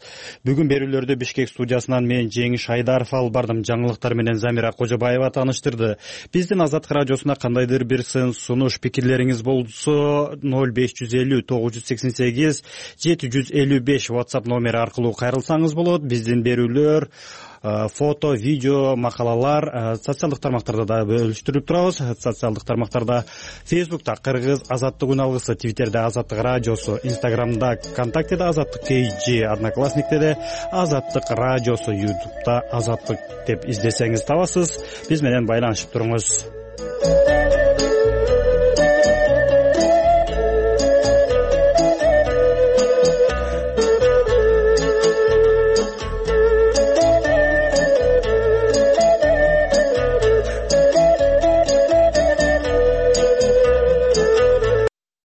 Бүгүн берүүлөрдү Бишкек студиясынан мен Жеңиш Айдаров алып бардым. Жаңылыктар менен Замира Кожобаева тааныштырды. Биздин Азаттык радиосуна кандайдыр бир сын сунуш, пикирлериңиз болсо 0550 988 755 WhatsApp номери аркылуу кайрылсаңыз болот. Биздин берүүлөр фото, видео, макалалар социалдык тармактарда да бөлүштүрүп турабыз. Социалдык тармактарда Facebook'та Кыргыз Азаттык үн алгысы, Twitter'де Азаттык радиосу, Instagram'да ВКонтактеде Азаттык KG, Одноклассникте де Азаттык радиосу, YouTube'да Азаттык деп издесеңиз табасыз. Биз менен байланышып туруңуз.